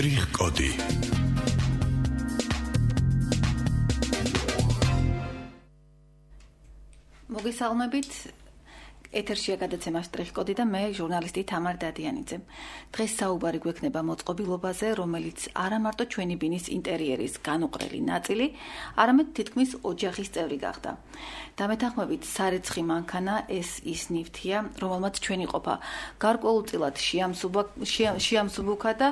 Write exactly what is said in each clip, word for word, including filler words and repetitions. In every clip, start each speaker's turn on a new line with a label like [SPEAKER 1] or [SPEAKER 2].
[SPEAKER 1] Strichcodi.
[SPEAKER 2] მოგესალმებით. ეთერშია გადაცემა Strichcodi და მე ჟურნალისტი თამარ დადიანიძე. დღეს საუბარი გვექნება მოწყობილობაზე, რომელიც არა მარტო ჩვენი ბინის ინტერიერის განუყრელი ნაწილი, არამედ თითქმის ოჯახის წევრი გახდა. დამეთანხმებით, სარეცხი მანქანა ეს ის ნივთია, რომელმაც ჩვენი ყოფა გარკვეულწილად შეამსუბუქა და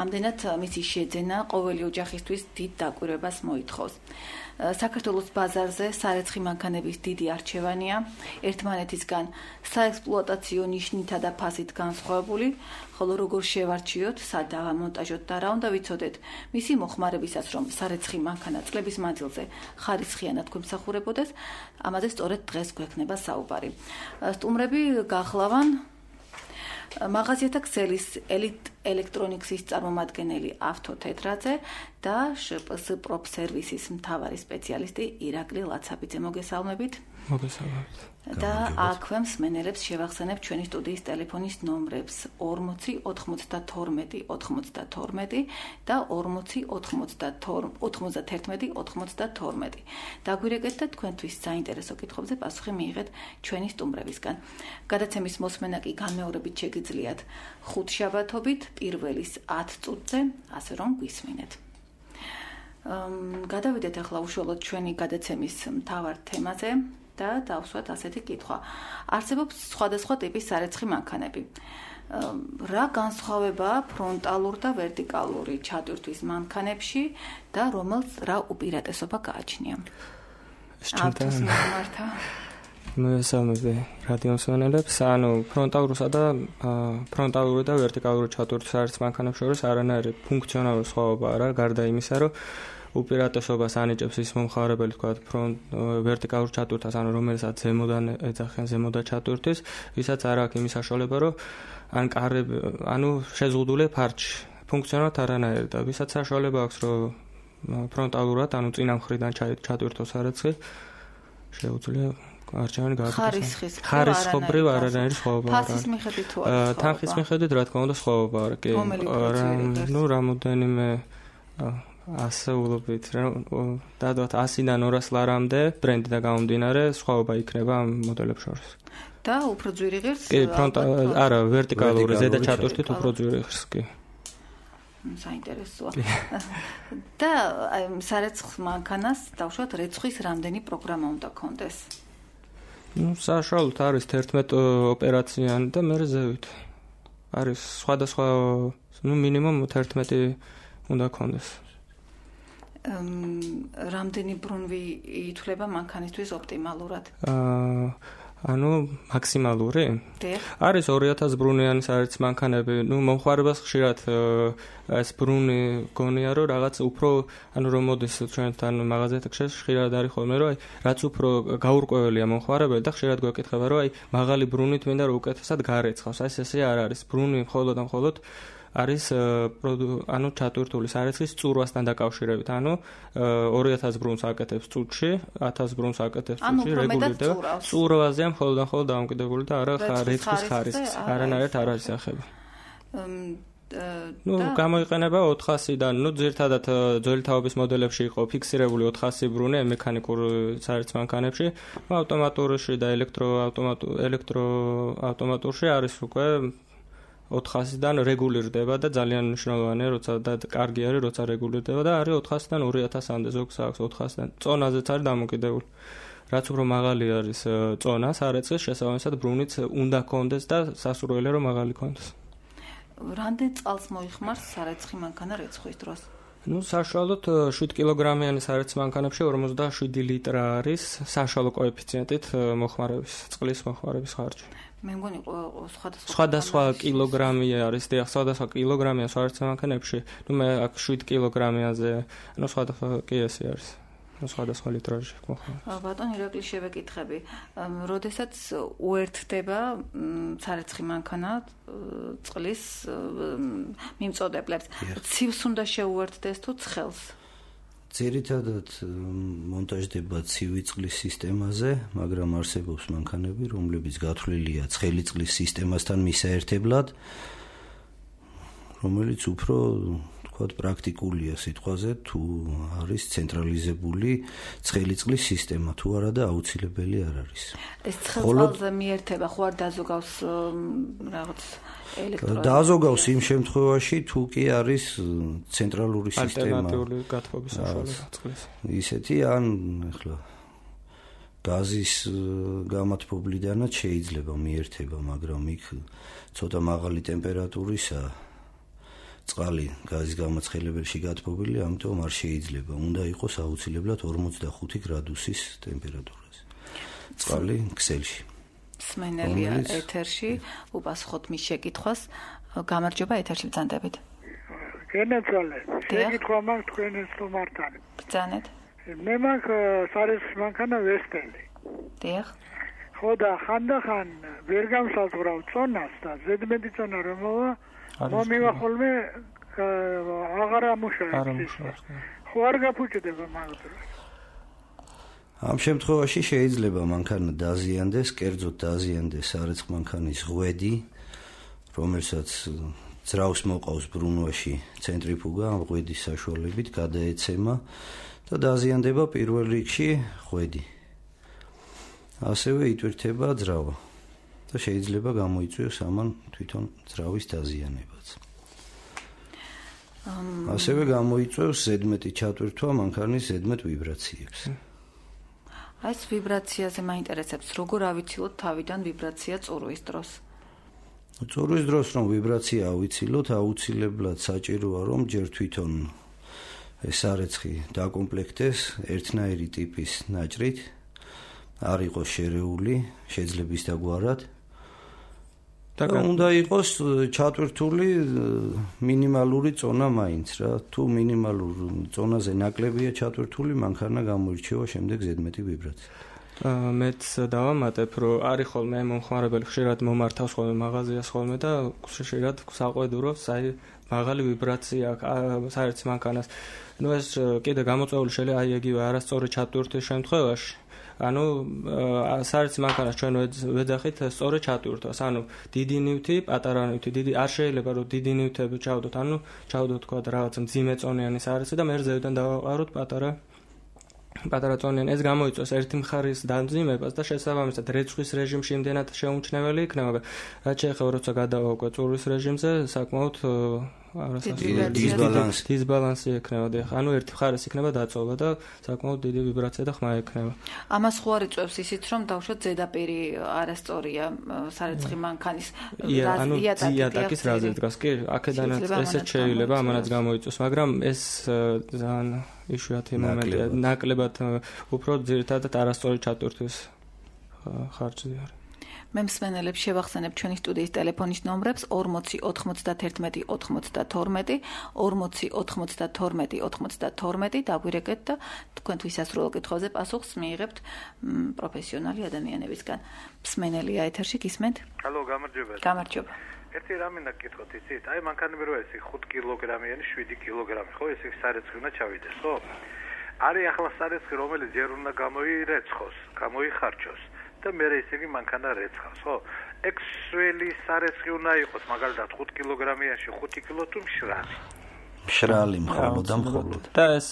[SPEAKER 2] ამდენად მისი შეძენა ყოველი ოჯახისთვის დიდ დაკვირვებას მოითხოვს. საქართველოს ბაზარზე სარეცხი მანქანების დიდი არჩევანია, ერთმანეთისგან საექსპლუატაციო ნიშნითა და ფასით განსხვავებული, ხოლო როგორ შევარჩიოთ, სად დავამონტაჟოთ და რა უნდა ვიცოდეთ მისი მოხმარებისას, რომ სარეცხი მანქანა წლების მანძილზე ხარისხიანად გვემსახურებოდეს, ამაზე სწორედ დღეს გვექნება საუბარი. სტუმრები გახლავან მაღაზიათა ქსელის ელიტ ელექტრონიქსის წარმომადგენელი ავთო თეთრაძე და შპს პროფსერვისის მთავარი სპეციალისტი ირაკლი ლაცაბიძე. მოგესალმებით.
[SPEAKER 3] მოგესალმებით.
[SPEAKER 2] და აქვე მსმენელებს შევახსენებ ჩვენი სტუდიის ტელეფონის ნომრებს ორმოცი ოთხმოცდათორმეტი ოცდათორმეტი და ორმოცი ოცდათერთმეტი ოცდათორმეტი. დაგვირეკეთ და თქვენთვის საინტერესო კითხვებზე პასუხი მიიღეთ ჩვენი სტუმრებისგან. გადაცემის მოსმენა კი განმეორებით შეგიძლიათ ხუთშაბათობით პირველის ათ წუთზე, ასე რომ გვისმინეთ. გადავიდეთ ახლა უშუალოდ ჩვენი გადაცემის მთავარ თემაზე და დავსვათ ასეთი კითხვა. არსებობს სხვადასხვა ტიპის სარეცხი მანქანები. რა განსხვავებაა ფრონტალურ და ვერტიკალური ჩატვირთვის მანქანებში და რომელს რა უპირატესობა გააჩნია? ავთოს მიმართა.
[SPEAKER 3] მოგესალმებით რადიომსმენელებს. ანუ ფრონტალურსა და ფრონტალური და ვერტიკალური ჩატვირთვის სარეცხი მანქანებს შორის არანაირი ფუნქციონალური სხვაობა არა, გარდა იმისა, რომ უპირატესობას ანიჭებს ის მომხმარებელი, თქვა ვერტიკალურ ჩატვირთას, ანუ რომელსაც ზემოდან ეძახიან ზემოდა ჩატვირთვის, ვისაც არ აქვს იმის საშუალება, რომ ან კარები, ანუ შეზღუდული ფარჩი, ფუნქციონალურად არანაირი და ვისაც საშუალება აქვს, რომ ფრონტალურად, ანუ წინა მხრიდან ჩატვირთოს სარეცხი, შეუძლია არჩევანი გააკეთოს. ხარისხობრივ არანაირი სხვაობა არ არის.
[SPEAKER 2] ფასის მიხედვით თუ არის?
[SPEAKER 3] თანხის მიხედვით რა თქმა უნდა სხვაობა არის. კი, ნუ რამოდენიმე ასეულობით დადოთ ასიდან ორას ლარამდე ბრენდიდან გამომდინარე სხვაობა იქნება ამ მოდელებს შორის.
[SPEAKER 2] და უფრო ძვირი ღირს?
[SPEAKER 3] კი, ფრონტ არა, ვერტიკალური ზედა ჩატვირთით უფრო ძვირი ღირს, კი.
[SPEAKER 2] საინტერესოა. და სარეცხ მანქანას დავუშვათ რეცხვის რამდენი პროგრამა უნდა კონდეს?
[SPEAKER 3] ნუ საშუალოდ არის თერთმეტ ოპერაციანი და მე ზევით. არის სხვადასხვა, ნუ მინიმუმ თერთმეტი უნდა კონდეს.
[SPEAKER 2] რამდენი ბრუნვი ითვლება მანქანისთვის ოპტიმალურად?
[SPEAKER 3] ანუ მაქსიმალური? არის ორი ათას ბრუნიანი სარეცხი მანქანები. ნუ მომხმარებას ხშირად ეს ბრუნი გონია, რომ რაღაც უფრო, ანუ რომ მოდის ჩვენთან მაღაზიათში ხშირად არის ხოლმე, რომ აი რაც უფრო გაურკვეველია მომხმარებელი და ხშირად გვეკითხება, რომ აი მაღალი ბრუნით მინდა რომ უკეთესად გარეცხავს. აი ესე არ არის. ბრუნი მხოლოდ და მხოლოდ არის ანუ ჩატვირთული სარეცხის წურვასთან დაკავშირებით. ანუ ორი ათას ბრუნს აკეთებს წუთში, ათას ბრუნს აკეთებს წუთში რეგულირდება. წურვაზეა მხოლოდ და მხოლოდ დამოკიდებული და არა რეცხვის ხარისხის. არანაირად არ არის ახები. ნუ გამოიყენება ოთხასიდან, ნუ ძირთადად ძველი თაობის მოდელებში იყო ფიქსირებული ოთხასი ბრუნი მექანიკურ სარეცხ მანქანებში, ავტომატურში და ელექტრო ელექტრო ავტომატურში არის უკვე ოთხასიდან რეგულირდება და ძალიან მნიშვნელოვანია, როცა და კარგი არის, როცა რეგულირდება და არის ოთხასიდან ორი ათასამდე ზოგს აქვს ოთხასიდან. წონაზეც არის დამოკიდებული. რაც უფრო მაღალი არის წონა სარეცხის, შესაბამისად ბრუნიც უნდა კონდეს და სასურველია რომ მაღალი კონდეს.
[SPEAKER 2] რამდენ წელს მოიხმარს სარეცხი მანქანა რეცხვის დროს?
[SPEAKER 3] ნუ საშუალოდ შვიდ კილოგრამიანი სარეცხ მანქანებში ორმოცდაშვიდი ლიტრა არის საშუალო კოეფიციენტით მოხმარების, წყლის მოხმარების ხარჯი.
[SPEAKER 2] მე მგონი სხვადასხვა
[SPEAKER 3] სხვადასხვა კილოგრამი არის, დიახ, სხვადასხვა კილოგრამია სარეცხ მანქანებში. ნუ მე აქ შვიდ კილოგრამიაზე, ნუ სხვადასხვა კი ესე არის. ნუ სხვადასხვა ლიტრაჟი მოხმარება.
[SPEAKER 2] ბატონ ირაკლი შევეკითხები, როდესაც უერთდება სარეცხი მანქანა წყლის მიმწოდებლებს, ცივს უნდა შეუერთდეს თუ ცხელს?
[SPEAKER 4] ძირითადად მონტაჟდება ცივი წყლის სისტემაზე, მაგრამ არსებობს მანქანები, რომლებიც გათვლილია ცხელი წყლის სისტემასთან მისაერთებლად, რომელიც უფრო ვთქვათ, პრაქტიკულია სიტყვაზე, თუ არის ცენტრალიზებული ცხელი წყლის სისტემა, თუ არა და აუცილებელი არ არის.
[SPEAKER 2] ეს ცხელზე მიერთება ხო არ დაზოგავს რაღაც ელექტრო
[SPEAKER 4] დაზოგავს იმ შემთხვევაში, თუ კი არის ცენტრალური სისტემა.
[SPEAKER 3] ალტერნატიული გათბობის საშუალება წყლის.
[SPEAKER 4] ისეთი ან ახლა გაზის გამათბობლიდანაც შეიძლება მიერთება, მაგრამ იქ ცოტა მაღალი ტემპერატურისა წყალი გაზის გამაცხელებელში გათბობილი, ამიტომ არ შეიძლება. უნდა იყოს აუცილებლად ორმოცდახუთი გრადუსის ტემპერატურაზე. წყალი ქსელში.
[SPEAKER 2] სმენელია ეთერში, უპასუხოთ მის შეკითხვას. გამარჯობა, ეთერში ბრძანდებით.
[SPEAKER 1] გენაცვალე. შეკითხვა მაქვს თქვენს თომართან.
[SPEAKER 2] ბრძანეთ.
[SPEAKER 1] მე მაქვს სარეს მანქანა ვესტელი.
[SPEAKER 2] დიახ.
[SPEAKER 1] ხო და ხანდახან ვერ გამსაზღვრავ წონას და ზედმეტი წონა რომ მოვა, მომივა ხოლმე აღარ ამუშავებს. ხო არ გაფუჭდება მაგდროს.
[SPEAKER 4] ამ შემთხვევაში შეიძლება მანქანა დაზიანდეს, კერძოდ დაზიანდეს სარეცხ მანქანის ღვედი, რომელსაც ძრავს მოყავს ბრუნვაში ცენტრიფუგა, ამ ღვედის საშუალებით გადაეცემა და დაზიანდება პირველ რიგში ღვედი. ასევე იტვირთება ძრავა და შეიძლება გამოიწვიოს ამან თვითონ ძრავის დაზიანებაც. ასევე გამოიწვევს ზედმეტი ჩატვირთვა მანქანის ზედმეტ ვიბრაციებს.
[SPEAKER 2] აი ეს ვიბრაციაზე მაინტერესებს, როგორ ავიცილოთ თავიდან ვიბრაცია წურვის დროს?
[SPEAKER 4] წურვის დროს რომ ვიბრაცია ავიცილოთ, აუცილებლად საჭიროა რომ ჯერ თვითონ ეს სარეცხი დაკომპლექტდეს ერთნაირი ტიპის ნაჭრით, არ იყოს შერეული, შეძლებ ის დაგვარად. და უნდა იყოს ჩატვირთული მინიმალური წონა მაინც რა. თუ მინიმალურ წონაზე ნაკლებია ჩატვირთული, მანქანა გამოირჩევა შემდეგ ზედმეტი ვიბრაცია.
[SPEAKER 3] მეც დავამატებ, რომ არის ხოლმე მომხმარებელი ხშირად მომართავს ხოლმე მაღაზიას ხოლმე და ხშირად საყვედურობს, აი მაღალი ვიბრაცია საერთო მანქანას. ნუ ეს კიდე გამოწვეული შეიძლება აი იგივე არასწორი ჩატვირთვის შემთხვევაში. ანუ საერთო მანქანას ჩვენ ვეძახით სწორი ჩატვირთვას. ანუ დიდი ნივთი, პატარა ნივთი, დიდი არ შეიძლება რომ დიდი ნივთები ჩავდოთ, ანუ ჩავდოთ თქვა რაღაც მძიმე წონიანი სარეცხი და მე ზევიდან დავაყაროთ პატარა პატარა წონიანი. ეს გამოიწვევს ერთი მხარის დამძიმებას და შესაბამისად რეცხვის რეჟიმში იმდენად შეუმჩნეველი იქნება, რაც შეეხება როცა გადავაუკვე წურვის რეჟიმზე, საკმაოდ
[SPEAKER 4] დისბალანსი
[SPEAKER 3] დისბალანსი ექნება და ანუ ერთი მხარეს იქნება დაწოვა და საკმაოდ დიდი ვიბრაცია და ხმა ექნება.
[SPEAKER 2] ამას ხო არ იწვევს ისიც რომ დავუშვათ ზედაპირი არასწორია სარეცხი მანქანის
[SPEAKER 3] იატაკის რაზე დგას კი აქედანაც ესეც შეიძლება ამანაც გამოიწვევს, მაგრამ ეს ძალიან იშვიათი მომენტია, ნაკლებად უფრო ძირითადად არასწორი ჩატვირთვის ხარჯზე არის.
[SPEAKER 2] მე მსმენელებს შევახსენებ ჩვენი სტუდიის ტელეფონის ნომრებს ორმოცი ოთხმოცდაათერთმეტი ოცდაათორმეტი, ორმოცი ოთხმოცდაათორმეტი ოცდაათორმეტი დაგვირეკეთ და თქვენთვის ასრულო კითხვებზე პასუხს მიიღებთ პროფესიონალი ადამიანებისგან. მსმენელია ეთერში, გისმენთ?
[SPEAKER 5] ჰალო, გამარჯობა.
[SPEAKER 2] გამარჯობა.
[SPEAKER 5] ერთი რამე უნდა გითხოთ, იცით? აი მანქანები რო ეს ხუთი კილოგრამიანი, შვიდი კილოგრამი, ხო, ეს სარეცხი უნდა ჩავიდეს, ხო? არის ახლა სარეცხი, რომელიც ჯერ უნდა გამოირეცხოს, გამოიხარჯოს. და მე ისე იგი მანქანა რეცხავს, ხო? ექსველი სარეცხი უნდა იყოს, მაგალითად ხუთი კილოგრამიანში ხუთი კილო თუ მშრალი.
[SPEAKER 4] მშრალი მხოლოდ და მხოლოდ.
[SPEAKER 3] და ეს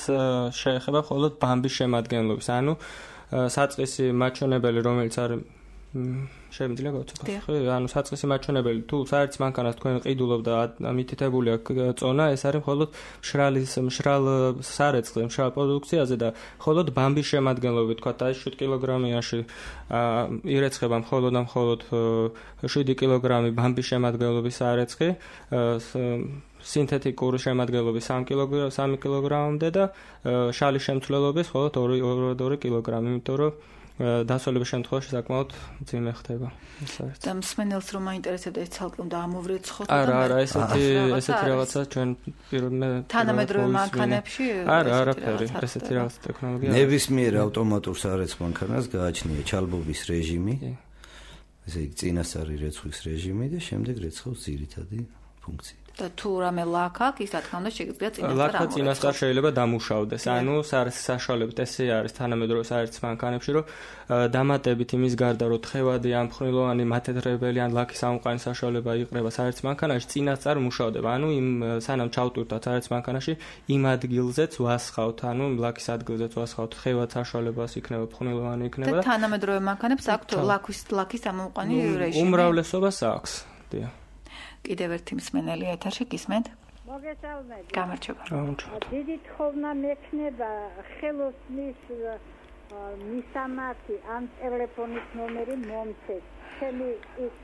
[SPEAKER 3] შეეხება მხოლოდ ბამბის შემადგენლობის, ანუ საწყისი მაჩვენებელი, რომელიც არის შემიძლია გავცოთ. ხო, ანუ საწყისი მაჩვენებელი თუ საერთო მანქანას თქვენ ყიდულობ და მითითებული აქვს წონა, ეს არის მხოლოდ მშრალის მშრალ სარეცხზე, მშრალ პროდუქციაზე და მხოლოდ ბამბის შემადგენლობით, თქვა და შვიდი კილოგრამიანში ირეცხება მხოლოდ და მხოლოდ შვიდი კილოგრამი ბამბის შემადგენლობის სარეცხი, სინთეთიკური შემადგენლობის სამი კილოგრამამდე და შალის შემცვლელობის მხოლოდ ორი კილოგრამი, იმიტომ რომ დასავლების შემთხვევაში საკმაოდ მძიმე ხდება.
[SPEAKER 2] და მსმენელს რომ მაინტერესებდა ეს ცალკე უნდა ამოვრეცხოთ
[SPEAKER 3] და არა, არა, ესეთი ესეთი რაღაცა ჩვენ პირველ
[SPEAKER 2] თანამედროვე მანქანებში
[SPEAKER 3] არა, არაფერი, ესეთი რაღაც ტექნოლოგია.
[SPEAKER 4] ნებისმიერ ავტომატურ სარეცხ მანქანას გააჩნია ჩალბობის რეჟიმი. ესე იგი წინასწარი რეცხვის რეჟიმი და შემდეგ რეცხავს ძირითადი ფუნქციით.
[SPEAKER 2] და თუ რამე ლაქ აქვს, ის რა თქმა უნდა შეგიძლია წინასწარ
[SPEAKER 3] ამორეცხოს. ლაქა წინასწარ შეიძლება დამუშავდეს. ანუ საშუალებით ესე არის თანამედროვე საერთო მანქანებში, რომ დამატებით იმის გარდა, რომ თხევადი ან მხნილოვანი მათედრებელი ან ლაქის ამოყვანის საშუალება იყრება საერთო მანქანაში, წინასწარ მუშავდება. ანუ იმ სანამ ჩავტვირთოთ საერთო მანქანაში, იმ ადგილზეც ვასხავთ, ანუ ლაქის ადგილზეც ვასხავთ, თხევად საშუალებას იქნება, მხნილოვანი იქნება
[SPEAKER 2] და თანამედროვე მანქანებს აქვთ ლაქის ლაქის ამოყვანი რეჟიმი.
[SPEAKER 3] უმრავლესობას აქვს. დიახ.
[SPEAKER 2] კიდევ ერთი მსმენელი ეთერში გისმენთ?
[SPEAKER 6] მოგესალმებით.
[SPEAKER 2] გამარჯობა.
[SPEAKER 6] დიდი თხოვნა მექნება ხელოსნის მისამართი ან ტელეფონის ნომერი მომცეთ. ჩემი ის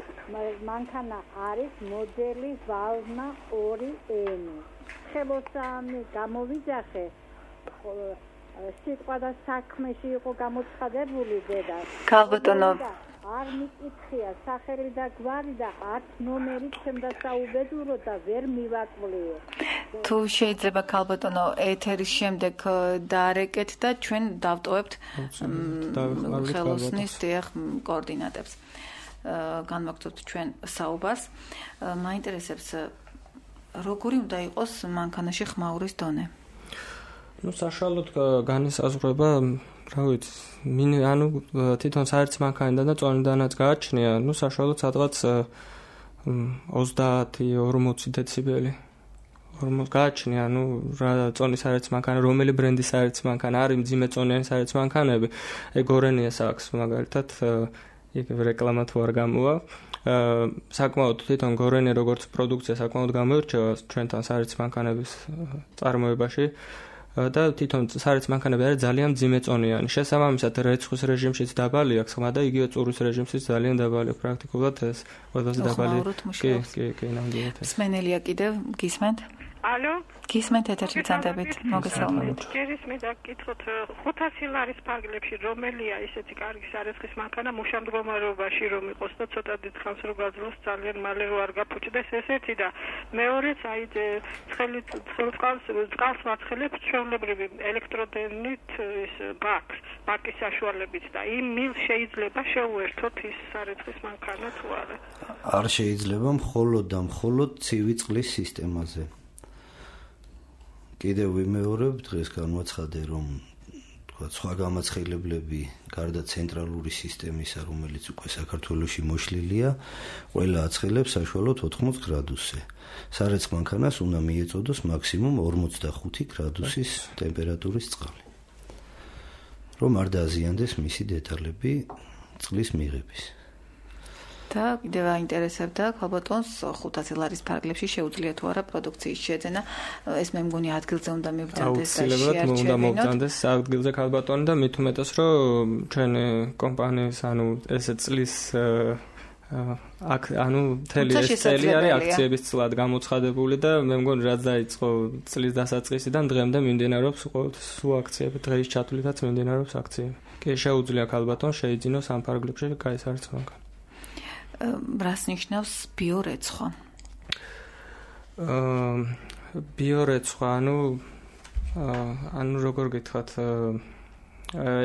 [SPEAKER 6] მანქანა არის მოდელი ვალნა ორი ენი. ხელოსანი გამოვიძახე სიტყვა და საქმეში იყო გამოცხადებული დედა.
[SPEAKER 2] ქალბატონო
[SPEAKER 6] არ მიკითხია სახელი და გვარი და არც ნომერი ჩემდა საუბედურო და ვერ მივაკლია.
[SPEAKER 2] თუ შეიძლება ქალბატონო ეთერის შემდეგ დაარეკეთ და ჩვენ დავტოვებთ ხელოსნის დიახ კოორდინატებს. განვაგრძობთ ჩვენ საუბარს. მაინტერესებს როგორი უნდა იყოს მანქანაში ხმაურის დონე?
[SPEAKER 3] ну საშუალოდ განისაზღვრება რა ვიცი მინ ანუ თვითონ საერთო მანქანიდან და წონიდანაც გააჩნია ну საშუალოდ სადღაც ოცდაათი ორმოცი დეციბელი ორმოცი გააჩნია ну რა წონის საერთო მანქანა რომელი ბრენდის საერთო მანქანა არის მძიმე წონიანი საერთო მანქანები ეგ გორენიას აქვს მაგალითად იქ რეკლამა თუ არ გამოვა საკმაოდ თვითონ გორენი როგორც პროდუქცია საკმაოდ გამოირჩევა ჩვენთან საერთო მანქანების წარმოებაში და თვითონ საერთო მანქანები არის ძალიან მძიმე წონიანი. შესაბამისად რეცხვის რეჟიმშიც დაბალი აქვს ხმა და იგივე წურის რეჟიმშიც ძალიან დაბალი პრაქტიკულად ეს ყველაზე დაბალი. კი, კი, კი, ნამდვილად.
[SPEAKER 2] მსმენელია კიდევ გისმენთ?
[SPEAKER 7] ალო?
[SPEAKER 2] გისმენთ ეთერში წანდებით. მოგესალმებით.
[SPEAKER 7] ჯერის მე დაგკითხოთ ხუთასი ლარის ფარგლებში რომელია ისეთი კარგი სარეცხვის მანქანა მუშამდგომარეობაში რომ იყოს და ცოტა დიდ ხანს რო გაძლოს ძალიან მალე რო არ გაფუჭდეს ესეთი და მეორეც აი ცხელი წყალს წყალს მაცხელებს ჩვეულებრივი ელექტროდენით ის ბაკს ბაკის საშუალებით და იმ მილ შეიძლება შეუერთოთ ის სარეცხვის მანქანა თუ არა?
[SPEAKER 4] არ შეიძლება მხოლოდ და მხოლოდ ცივი წყლის სისტემაზე. კიდევ ვიმეორებ დღეს განვაცხადე რომ თქვა სხვა გამაცხილებლები გარდა ცენტრალური სისტემისა რომელიც უკვე საქართველოში მოშლილია ყველა აცხილებს საშუალოდ ოთხმოც გრადუსზე სარეცხ მანქანას უნდა მიეწოდოს მაქსიმუმ ორმოცდახუთი გრადუსის ტემპერატურის წყალი რომ არ დააზიანდეს მისი დეტალები წყლის მიღების
[SPEAKER 2] და კიდევ აინტერესებდა ქალბატონს ხუთასი ლარის ფარგლებში შეუძლია თუ არა პროდუქციის შეძენა ეს მე მგონი ადგილზე უნდა მივბრძანდეს და
[SPEAKER 3] შეარჩევინოთ უნდა მოვბრძანდეს ადგილზე ქალბატონი და მით უმეტეს რომ ჩვენი კომპანიის ანუ ესე წლის აქ ანუ მთელი ეს წელი არის აქციების წლად გამოცხადებული და მე მგონი რაც დაიწყო წლის დასაწყისიდან დღემდე მიმდინარეობს სულ აქციები დღეის ჩათვლითაც მიმდინარეობს აქციები კი შეუძლია ქალბატონს შეიძინოს ამ ფარგლებში გაისარცო მანქანა
[SPEAKER 2] რას ნიშნავს ბიორეცხვა?
[SPEAKER 3] აა ბიორეცხვა, ანუ ანუ როგორ გითხრათ,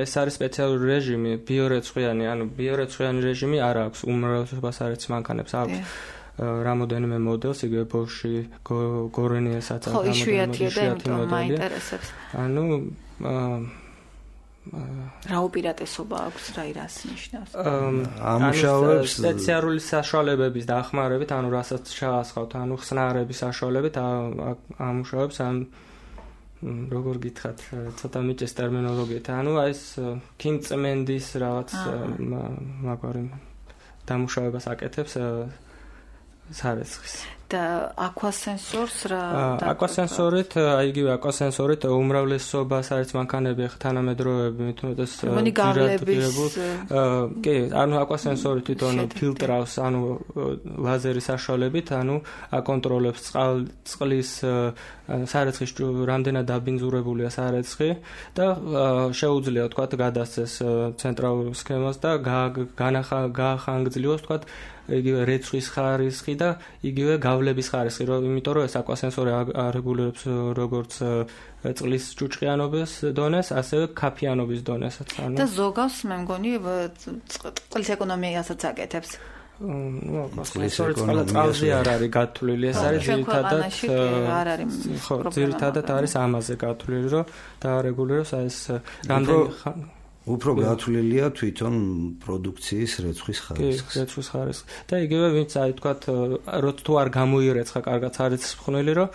[SPEAKER 3] ეს არის სპეციალური რეჟიმი, ბიორეცხვიანი, ანუ ბიორეცხვიანი რეჟიმი არ აქვს უმრავლესობას არის მანქანებს აქვს რამოდენიმე მოდელს, იგივე Bosch-ი, Gorenia-საც
[SPEAKER 2] აქვს. ხო, იშვიათია და იმიტომ მაინტერესებს.
[SPEAKER 3] ანუ
[SPEAKER 2] რა უპირატესობა აქვს რა ირას ნიშნავს?
[SPEAKER 4] ამუშავებს
[SPEAKER 3] სპეციალური საშუალებების დახმარებით, ანუ რასაც ჩაასხავთ, ანუ ხსნარების საშუალებით ამუშავებს ამ როგორ გითხრათ, ცოტა მიჭეს ტერმინოლოგიით, ანუ ეს ქიმწმენდის რაღაც მაგარი დამუშავებას აკეთებს სარეცხვის.
[SPEAKER 2] და აკვასენსორს რა
[SPEAKER 3] აკვასენსორით, აი იგივე აკვასენსორით უმრავლესობა საერთო მანქანები თანამედროვეები მithumetes ძირადღირებულ კი, ანუ აკვასენსორი თვითონ ფილტრავს, ანუ ლაზერის საშუალებით, ანუ აკონტროლებს წყლის სარეცხვის რამდენად დაბინძურებულია სარეცხი და შეუძლია თქვა გადასცეს ცენტრალურ სქემას და გაახანგრძლივოს თქვა იგივე რეცხვის ხარისხი და იგივე გავლების ხარისხი, იმიტომ რომ ეს აკვასენსორი არეგულირებს როგორც წყლის ჭუჭყიანობის დონეს, ასევე კაფეიანობის დონესაც.
[SPEAKER 2] და ზოგავს მე მგონი წყლის ეკონომიასაც აკეთებს.
[SPEAKER 3] ну, სწორედ წყალზე არ არის გათვლილი, ეს არის ძირითადად
[SPEAKER 2] არ არის
[SPEAKER 3] ხო, ძირითადად არის ამაზე გათვლილი, რომ დაარეგულიროს ეს რამდენი
[SPEAKER 4] უფრო გათვლილია თვითონ პროდუქციის რეცხვის ხარისხი.
[SPEAKER 3] კი, რეცხვის ხარისხი. და იგივე ვინც აი თქვათ, როც თუ არ გამოირეცხა კარგად არის ხვნილი, რომ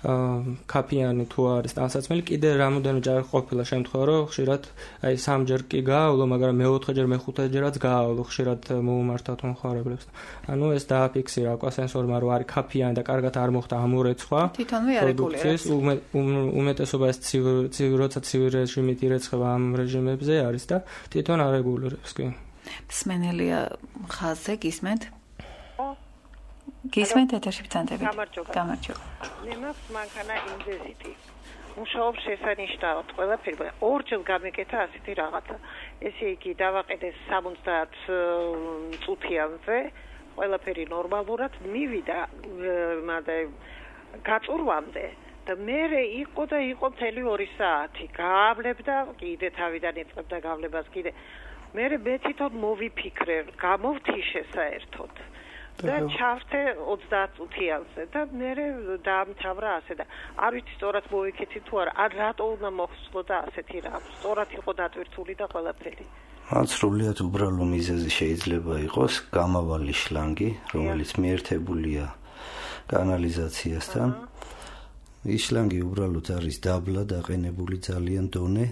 [SPEAKER 3] კაფიანი თუ არის ტანსაცმელი, კიდე რამოდენჯერ ყოფილა შემთხვევა, რომ ხშირად აი სამჯერ კი გაავლო, მაგრამ მეოთხეჯერ, მეხუთეჯერაც გაავლო, ხშირად მოუმართათ მომხმარებლებს. ანუ ეს დააფიქსირა აკვასენსორმა, რომ არის კაფიანი და კარგად არ მოხდა ამორეცხვა.
[SPEAKER 2] თვითონვე არეგულირებს.
[SPEAKER 3] უმეტესობა ეს ცივი, როცა ცივი რეჟიმით ირეცხება ამ რეჟიმებზე არის და თვითონ არეგულირებს კი.
[SPEAKER 2] მსმენელია ხაზზე გისმენთ? გისმენთ ეთერში ბრძანდებით.
[SPEAKER 8] გამარჯობა.
[SPEAKER 2] გამარჯობა.
[SPEAKER 8] მე მაქვს მანქანა ინდეზიტი. მუშაობს შესანიშნავად ყველაფერი. ორჯერ გამეკეთა ასეთი რაღაცა. ესე იგი დავაყენე სამოცდაათ წუთიანზე, ყველაფერი ნორმალურად მივიდა, მაგრამ გაწურვამდე და მე იყო და იყო მთელი ორი საათი. გაავლებდა, კიდე თავიდან ეწყებდა გავლებას კიდე. მე მე თვითონ მოვიფიქრე, გამოვთიშე საერთოდ. და ჩავთე ოცდაათ წუთიანზე და მე დაამთავრა ასე და არ ვიცი სწორად მოვიქეცი თუ არა, არ რატო უნდა მოხსნო და ასეთი რა. სწორად იყო დატვირთული და ყველაფერი.
[SPEAKER 4] ან სრულიად უბრალო მიზეზი შეიძლება იყოს გამავალი შლანგი, რომელიც მიერთებულია კანალიზაციასთან. ის შლანგი უბრალოდ არის დაბლა დაყენებული ძალიან დონე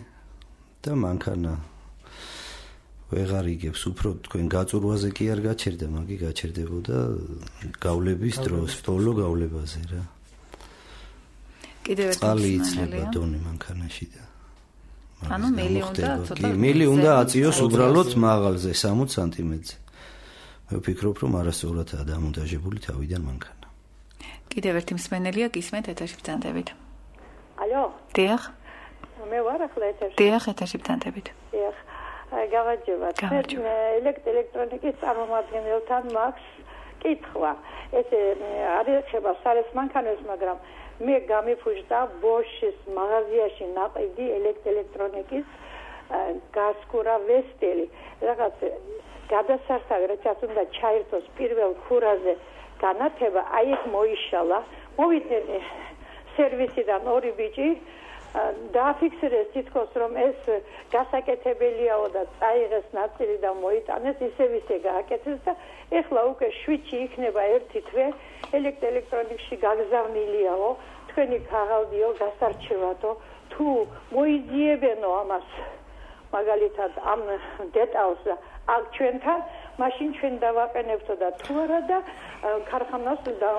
[SPEAKER 4] და მანქანა ვეღარ იგებს, უფრო თქვენ გაწურვაზე კი არ გაჩერდა, მაგი გაჩერდებოდა გავლების დროს, ბოლო გავლებაზე რა.
[SPEAKER 2] კიდევ ერთი
[SPEAKER 4] წალი იცლება დონე მანქანაში და
[SPEAKER 2] ანუ მილი უნდა ცოტა
[SPEAKER 4] მილი უნდა აწიოს უბრალოდ მაღალზე სამოცი სანტიმეტრზე. მე ვფიქრობ, რომ არასწორადაა დამონტაჟებული თავიდან მანქანა.
[SPEAKER 2] კიდევ ერთი მსმენელია გისმენთ ეთერში ბრძანდებით.
[SPEAKER 9] ალო?
[SPEAKER 2] დიახ.
[SPEAKER 9] მე ვარ ახლა ეთერში.
[SPEAKER 2] დიახ, ეთერში ბრძანდებით.
[SPEAKER 9] დიახ. გავაჯობათ. ელექტრონიკის წარმომადგენელთან მაქვს კითხვა. ეს არ ეხება სარეს მანქანებს, მაგრამ მე გამიფუჭდა ბოშის მაღაზიაში ნაყიდი ელექტრონიკის გასკურა ვესტელი. რაღაც გადასარსავი რაც უნდა ჩაერთოს პირველ ქურაზე განათება, აი ეს მოიშალა. მოვიდნენ სერვისიდან ორი ბიჭი დააფიქსირეს თითქოს რომ ეს გასაკეთებელიაო და წაიღეს ნაწილი და მოიტანეს, ისე ვისე გააკეთეს და ეხლა უკვე შვიდში იქნება ერთი თვე ელექტრონიკში გაგზავნილიაო, თქვენი ქაღალდიო გასარჩევათო, თუ მოიძიებენო ამას მაგალითად ამ დეტალს და აქ ჩვენთან, მაშინ ჩვენ დავაყენებთო და თუ არა და ქარხანას და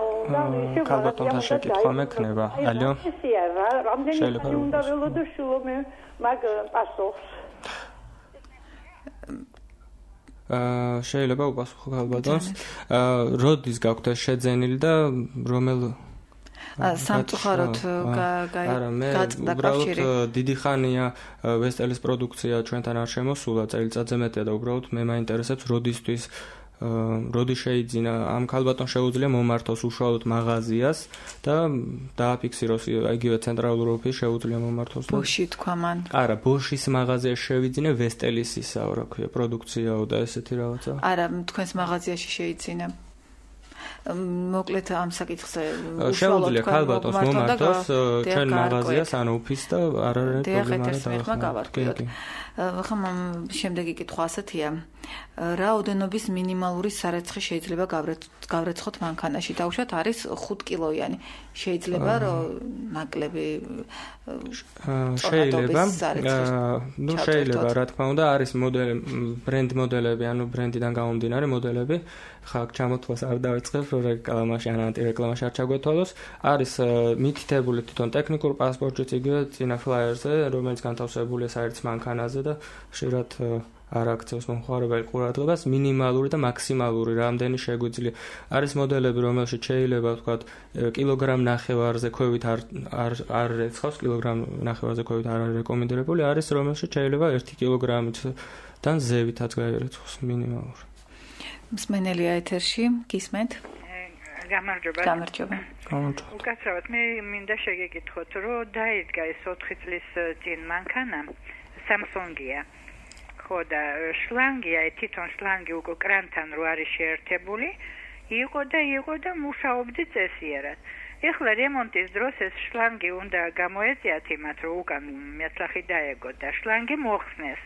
[SPEAKER 9] ისე
[SPEAKER 3] ქალბატონთან შეკითხვა მექნება. ალო?
[SPEAKER 9] რამდენი ხანი უნდა ველოდო შულო მე მაგ პასუხს.
[SPEAKER 3] აა შეიძლება უპასუხო ქალბატონს. აა როდის გაქვთ შეძენილი და რომელ
[SPEAKER 2] სამწუხაროდ გაწყდა კავშირი.
[SPEAKER 3] დიდი ხანია ვესტელის პროდუქცია ჩვენთან არ შემოსულა, წელიწადზე მეტია და უბრალოდ მე მაინტერესებს როდისთვის როდი შეიძინა ამ ქალბატონს შეუძლია მომართოს უშუალოდ მაღაზიას და დააფიქსიროს იგივე ცენტრალურ ოფისში შეუძლია მომართოს.
[SPEAKER 2] ბოში თქვა მან.
[SPEAKER 3] არა, ბოშის მაღაზიაში შევიძინე ვესტელის ისა რა ქვია პროდუქციაო და ესეთი რაღაცა.
[SPEAKER 2] არა, თქვენს მაღაზიაში შეიძინა. მოკლედ ამ საკითხზე
[SPEAKER 3] შეუძლია ქალბატონს მომართოს ჩვენ მაღაზიას ან ოფისს და არ არის პრობლემა და
[SPEAKER 2] ახლა შემდეგი კითხვა ასეთია. რაოდენობის მინიმალური სარეცხი შეიძლება გავრეცხოთ მანქანაში? დაუშვათ არის ხუთ კილოიანი. შეიძლება რომ ნაკლები
[SPEAKER 3] შეიძლება ნუ შეიძლება რა თქმა უნდა არის მოდელი ბრენდ მოდელები, ანუ ბრენდიდან გამომდინარე მოდელები. ხა ჩამოთვლას არ დავიწყებ, რომ რეკლამაში ან ანტირეკლამაში არ ჩაგვეთვალოს. არის მითითებული თვითონ ტექნიკურ პასპორტშიც იგივე წინა ფლაიერზე, რომელიც განთავსებულია საერთო მანქანაზე და ხშირად არ აქცევს მომხმარებელი ყურადღებას მინიმალური და მაქსიმალური რამდენი შეგვიძლია. არის მოდელები, რომელშიც შეიძლება ვთქვათ კილოგრამ ნახევარზე ქვევით არ არ რეცხავს, კილოგრამ ნახევარზე ქვევით არ არის რეკომენდებული, არის რომელშიც შეიძლება ერთი კილოგრამიდან ზევითაც გაირეცხოს მინიმალური.
[SPEAKER 2] მსმენელია ეთერში, გისმენთ?
[SPEAKER 10] გამარჯობა.
[SPEAKER 2] გამარჯობა.
[SPEAKER 3] გამარჯობა.
[SPEAKER 10] უკაცრავად მე მინდა შეგეკითხოთ, რომ დაიდგა ეს ოთხი წლის წინ მანქანა Samsung-ია. ხო და შლანგია, თვითონ შლანგი უკვე კრანთან რო არის შეერთებული, იყო და იყო და მუშაობდი წესიერად. ეხლა რემონტის დროს ეს შლანგი უნდა გამოეწიათ იმათ, რომ უკან მეცლახი დაეგოთ და შლანგი მოხსნეს.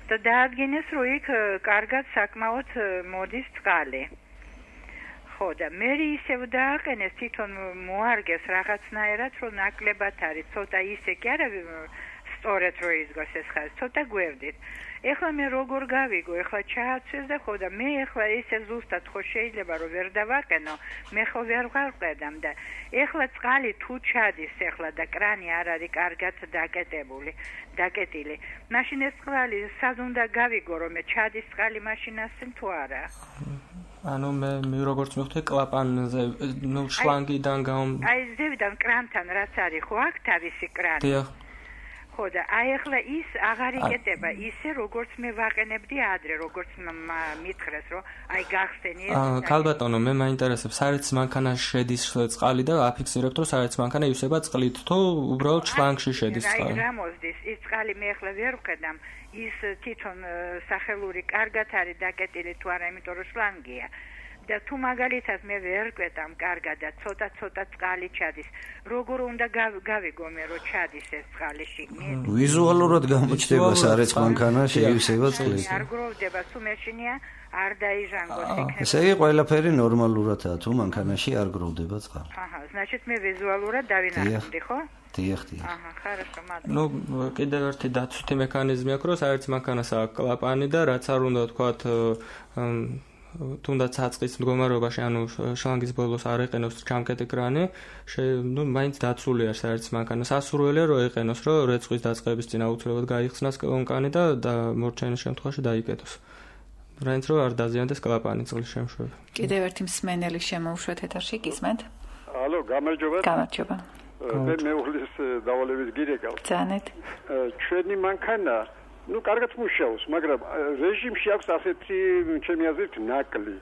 [SPEAKER 10] და დაადგინეს, რომ იქ კარგად საკმაოდ მოდის წყალი. ხო და მე ისევ დააყენეს თვითონ მოარგეს რაღაცნაირად, რომ ნაკლებად არის, ცოტა ისე კი არა სწორედ რო იზგოს ეს ხაზი, ცოტა გვერდით. ეხლა მე როგორ გავიგო, ეხლა ჩააცვეს და ხო და მე ეხლა ისე ზუსტად ხო შეიძლება რომ ვერ დავაყენო, მე ხო ვერ ვყავდამ და ეხლა წყალი თუ ჩადის ეხლა და კრანი არ არის კარგად დაკეტებული, დაკეტილი. მაშინ ეს წყალი სად უნდა გავიგო, რომ მე ჩადის წყალი მაშინასენ თუ არა?
[SPEAKER 3] ანუ მე მე როგორც მივხვდი კლაპანზე, ნუ შლანგიდან გამ
[SPEAKER 10] აი ზევიდან კრანთან რაც არის ხო აქ თავისი კრანი.
[SPEAKER 3] დიახ.
[SPEAKER 10] ხო და აი ახლა ის აღარ იკეტება ისე როგორც მე ვაყენებდი ადრე, როგორც მითხრეს, რომ აი გახსენი ეს.
[SPEAKER 3] აა ქალბატონო, მე მაინტერესებს, საერთოდ მანქანაში შედის წყალი და აფიქსირებთ, რომ საერთოდ მანქანა ივსება წყლით, თუ უბრალოდ შლანგში შედის წყალი.
[SPEAKER 10] აი რა მოსდის, ის წყალი მე ახლა ვერ ვხედავ, ის თვითონ სახელური კარგად არის დაკეტილი თუ არა, იმიტომ რომ შლანგია. და თუ მაგალითად მე ვერ ყვეტამ კარგად და ცოტა-ცოტა წყალი ჩადის, როგორ უნდა გავიგო მე რომ ჩადის ეს წყალი შიგნით?
[SPEAKER 4] ვიზუალურად გამოჩნდება საერთოდ მანქანაში ივსება წყლით.
[SPEAKER 10] არ გროვდება, თუ მეშინია არ დაიჟანგოს იქნება.
[SPEAKER 4] ესე იგი ყველაფერი ნორმალურადაა, თუ მანქანაში არ გროვდება წყალი.
[SPEAKER 10] აჰა, значит მე ვიზუალურად დავინახავდი, ხო?
[SPEAKER 4] დიახ, დიახ.
[SPEAKER 10] აჰა, хорошо, მადლობა.
[SPEAKER 3] ნუ კიდევ ერთი დაცვითი მექანიზმი აქვს, რომ საერთოდ მანქანას აქვს კლაპანი და რაც არ უნდა თქვათ თუნდაც აწყის მდგომარეობაში, ანუ შლანგის ბოლოს არ ეყენოს ჩამკეტი კრანი, ნუ მაინც დაცულია საერთოდ მანქანა. სასურველია რომ ეყენოს, რომ რეცხვის დაწყების წინ აუცილებლად გაიხსნას კონკანი და მორჩენის შემთხვევაში დაიკეტოს. რაინც რომ არ დაზიანდეს კლაპანი წყლის შემშვები.
[SPEAKER 2] კიდევ ერთი მსმენელი შემოუშვეთ ეთერში, გისმენთ?
[SPEAKER 11] ალო, გამარჯობა.
[SPEAKER 2] გამარჯობა.
[SPEAKER 11] მე მეუღლის დავალების გირე გავთ.
[SPEAKER 2] ძანეთ.
[SPEAKER 11] ჩვენი მანქანა ну კარგად მუშაობს, მაგრამ რეჟიმში აქვს ასეთი ჩემი აზრით ნაკლი.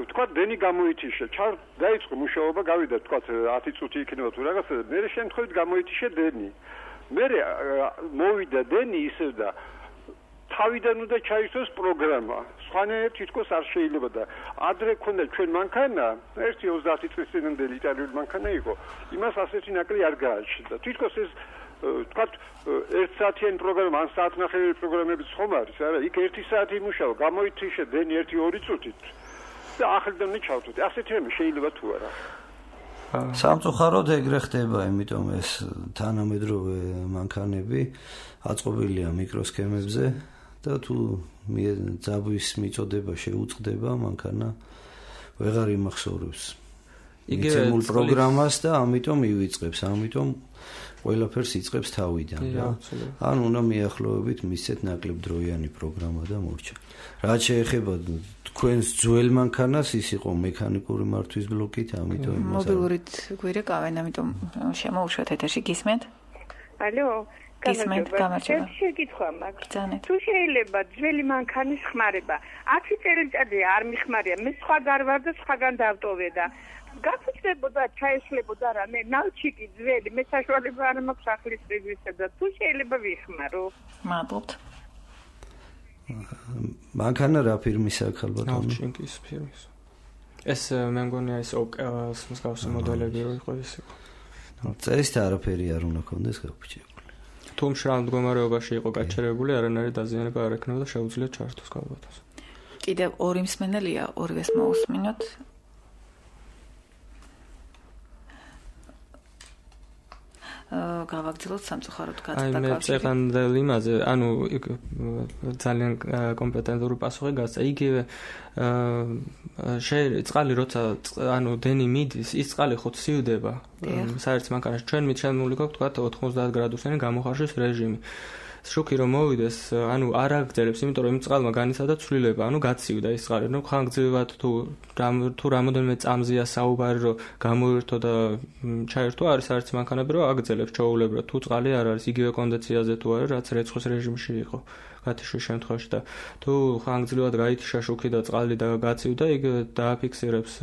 [SPEAKER 11] თქვა დენი გამოითიშე, ჩარ დაიწყო მუშაობა, გავიდა თქვა ათი წუთი იქნება თუ რაღაცა, მე შემთხვევით გამოითიშე დენი. მე მოვიდა დენი ისევ და თავიდან უნდა ჩაისვეს პროგრამა. სხვანაირად თითქოს არ შეიძლება და ადრე ქონდა ჩვენ მანქანა, ერთი ოცდაათი წლის წინანდელი იტალიური მანქანა იყო. იმას ასეთი ნაკლი არ გააჩნდა. თითქოს ეს თქვათ ერთ საათიანი პროგრამა, ან საათნახევარი პროგრამებიც ხომ არის, არა? იქ ერთი საათი იმუშავა, გამოითიშე დენი ერთი ორი წუთით და ახლიდან ჩავთვით. ასეთი რამე შეიძლება თუ არა?
[SPEAKER 4] სამწუხაროდ ეგრე ხდება, იმიტომ ეს თანამედროვე მანქანები აწყობილია მიკროსქემებზე და თუ ძაბვის მიწოდება შეუწყდება, მანქანა ვეღარ იმახსოვრებს იგივე პროგრამას და ამიტომ ივიწყებს, ამიტომ ყველაფერს იწყებს თავიდან და ან უნდა მიახლოებით მისცეთ ნაკლებ დროიანი პროგრამა და მორჩა. რაც შეეხება თქვენს ძველ მანქანას, ის იყო მექანიკური მართვის ბლოკით, ამიტომ
[SPEAKER 2] მობილურით გვირეკავენ, ამიტომ შემოუშვათ ეთერში, გისმენთ?
[SPEAKER 9] ალო,
[SPEAKER 2] გისმენთ, გამარჯობა.
[SPEAKER 9] შეკითხვა მაქვს.
[SPEAKER 2] ძანეთ.
[SPEAKER 9] თუ შეიძლება ძველი მანქანის ხმარება ათი წელიწადი არ მიხმარია, მე სხვა გარვარ და სხვაგან დავტოვე და გაფუჭდებოდა, ჩაეშლებოდა რამე, ნალჩიკი ძველი, მე საშუალება არ მაქვს ახლის პრიზმისა და თუ შეიძლება ვიხმარო.
[SPEAKER 2] მადლობთ.
[SPEAKER 4] მანქანა რა ფირმისაა ქალბატონო?
[SPEAKER 3] ნალჩიკის ფირმის. ეს მე მგონია ის ოკეას მსგავსი მოდელები რო იყო ის იყო.
[SPEAKER 4] წესით არაფერი არ უნდა კონდეს გაფუჭებული.
[SPEAKER 3] თუ მშრალ მდგომარეობაში იყო გაჩერებული, არანაირი დაზიანება არ ექნება და შეუძლია ჩართოს ქალბატონს.
[SPEAKER 2] კიდევ ორი მსმენელია, ორივეს მოусმინოთ. გავაგრძელოთ სამწუხაროდ გაწდა
[SPEAKER 3] კავშირი. აი მე წეღანდელ იმაზე, ანუ ძალიან კომპეტენტური პასუხი გასცა. იგივე შეიძლება წყალი როცა ანუ დენი მიდის, ის წყალი ხო ცივდება. საერთოდ მანქანაში ჩვენ მიჩნეული გვაქვს თქვა ოთხმოცდაათ გრადუსიანი გამოხარშვის რეჟიმი. შუქი რომ მოვიდეს, ანუ არ აგრძელებს, იმიტომ რომ იმ წყალმა განიცადა ცვლილება, ანუ გაცივდა ის წყალი. ნუ ხანგრძლივად თუ თუ რამოდენიმე წამზეა საუბარი, რომ გამოირთო და ჩაერთო, არის საერთოდ მანქანები, რომ აგრძელებს ჩაულებრად. თუ წყალი არ არის იგივე კონდიციაში თუ არის, რაც რეცხვის რეჟიმში იყო გათიშვის შემთხვევაში და თუ ხანგრძლივად გაითიშა შუქი და წყალი და გაცივდა, იქ დააფიქსირებს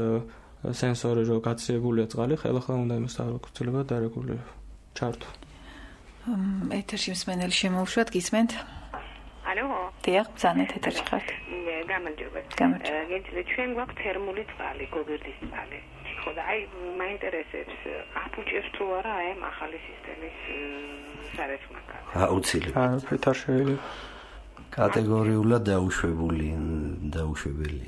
[SPEAKER 3] სენსორი, რომ გაციებულია წყალი, ხელახლა უნდა იმას დააკავშირება და რეგულირება. ჩართო.
[SPEAKER 2] ეთერში მსმენელი შემოუშვათ, გისმენთ?
[SPEAKER 12] ალო.
[SPEAKER 2] დიახ, ბრძანეთ ეთერში ხართ.
[SPEAKER 12] გამარჯობა. გეძლე ჩვენ გვაქვს თერმული წყალი, გოგირდის წყალი. ხო და აი მაინტერესებს აფუჭებს თუ არა აი ამ ახალი სისტემის სარეცხმაკა.
[SPEAKER 4] აუცილებლად.
[SPEAKER 3] აა ფეთარშეველი.
[SPEAKER 4] კატეგორიულად დაუშვებული, დაუშვებელი.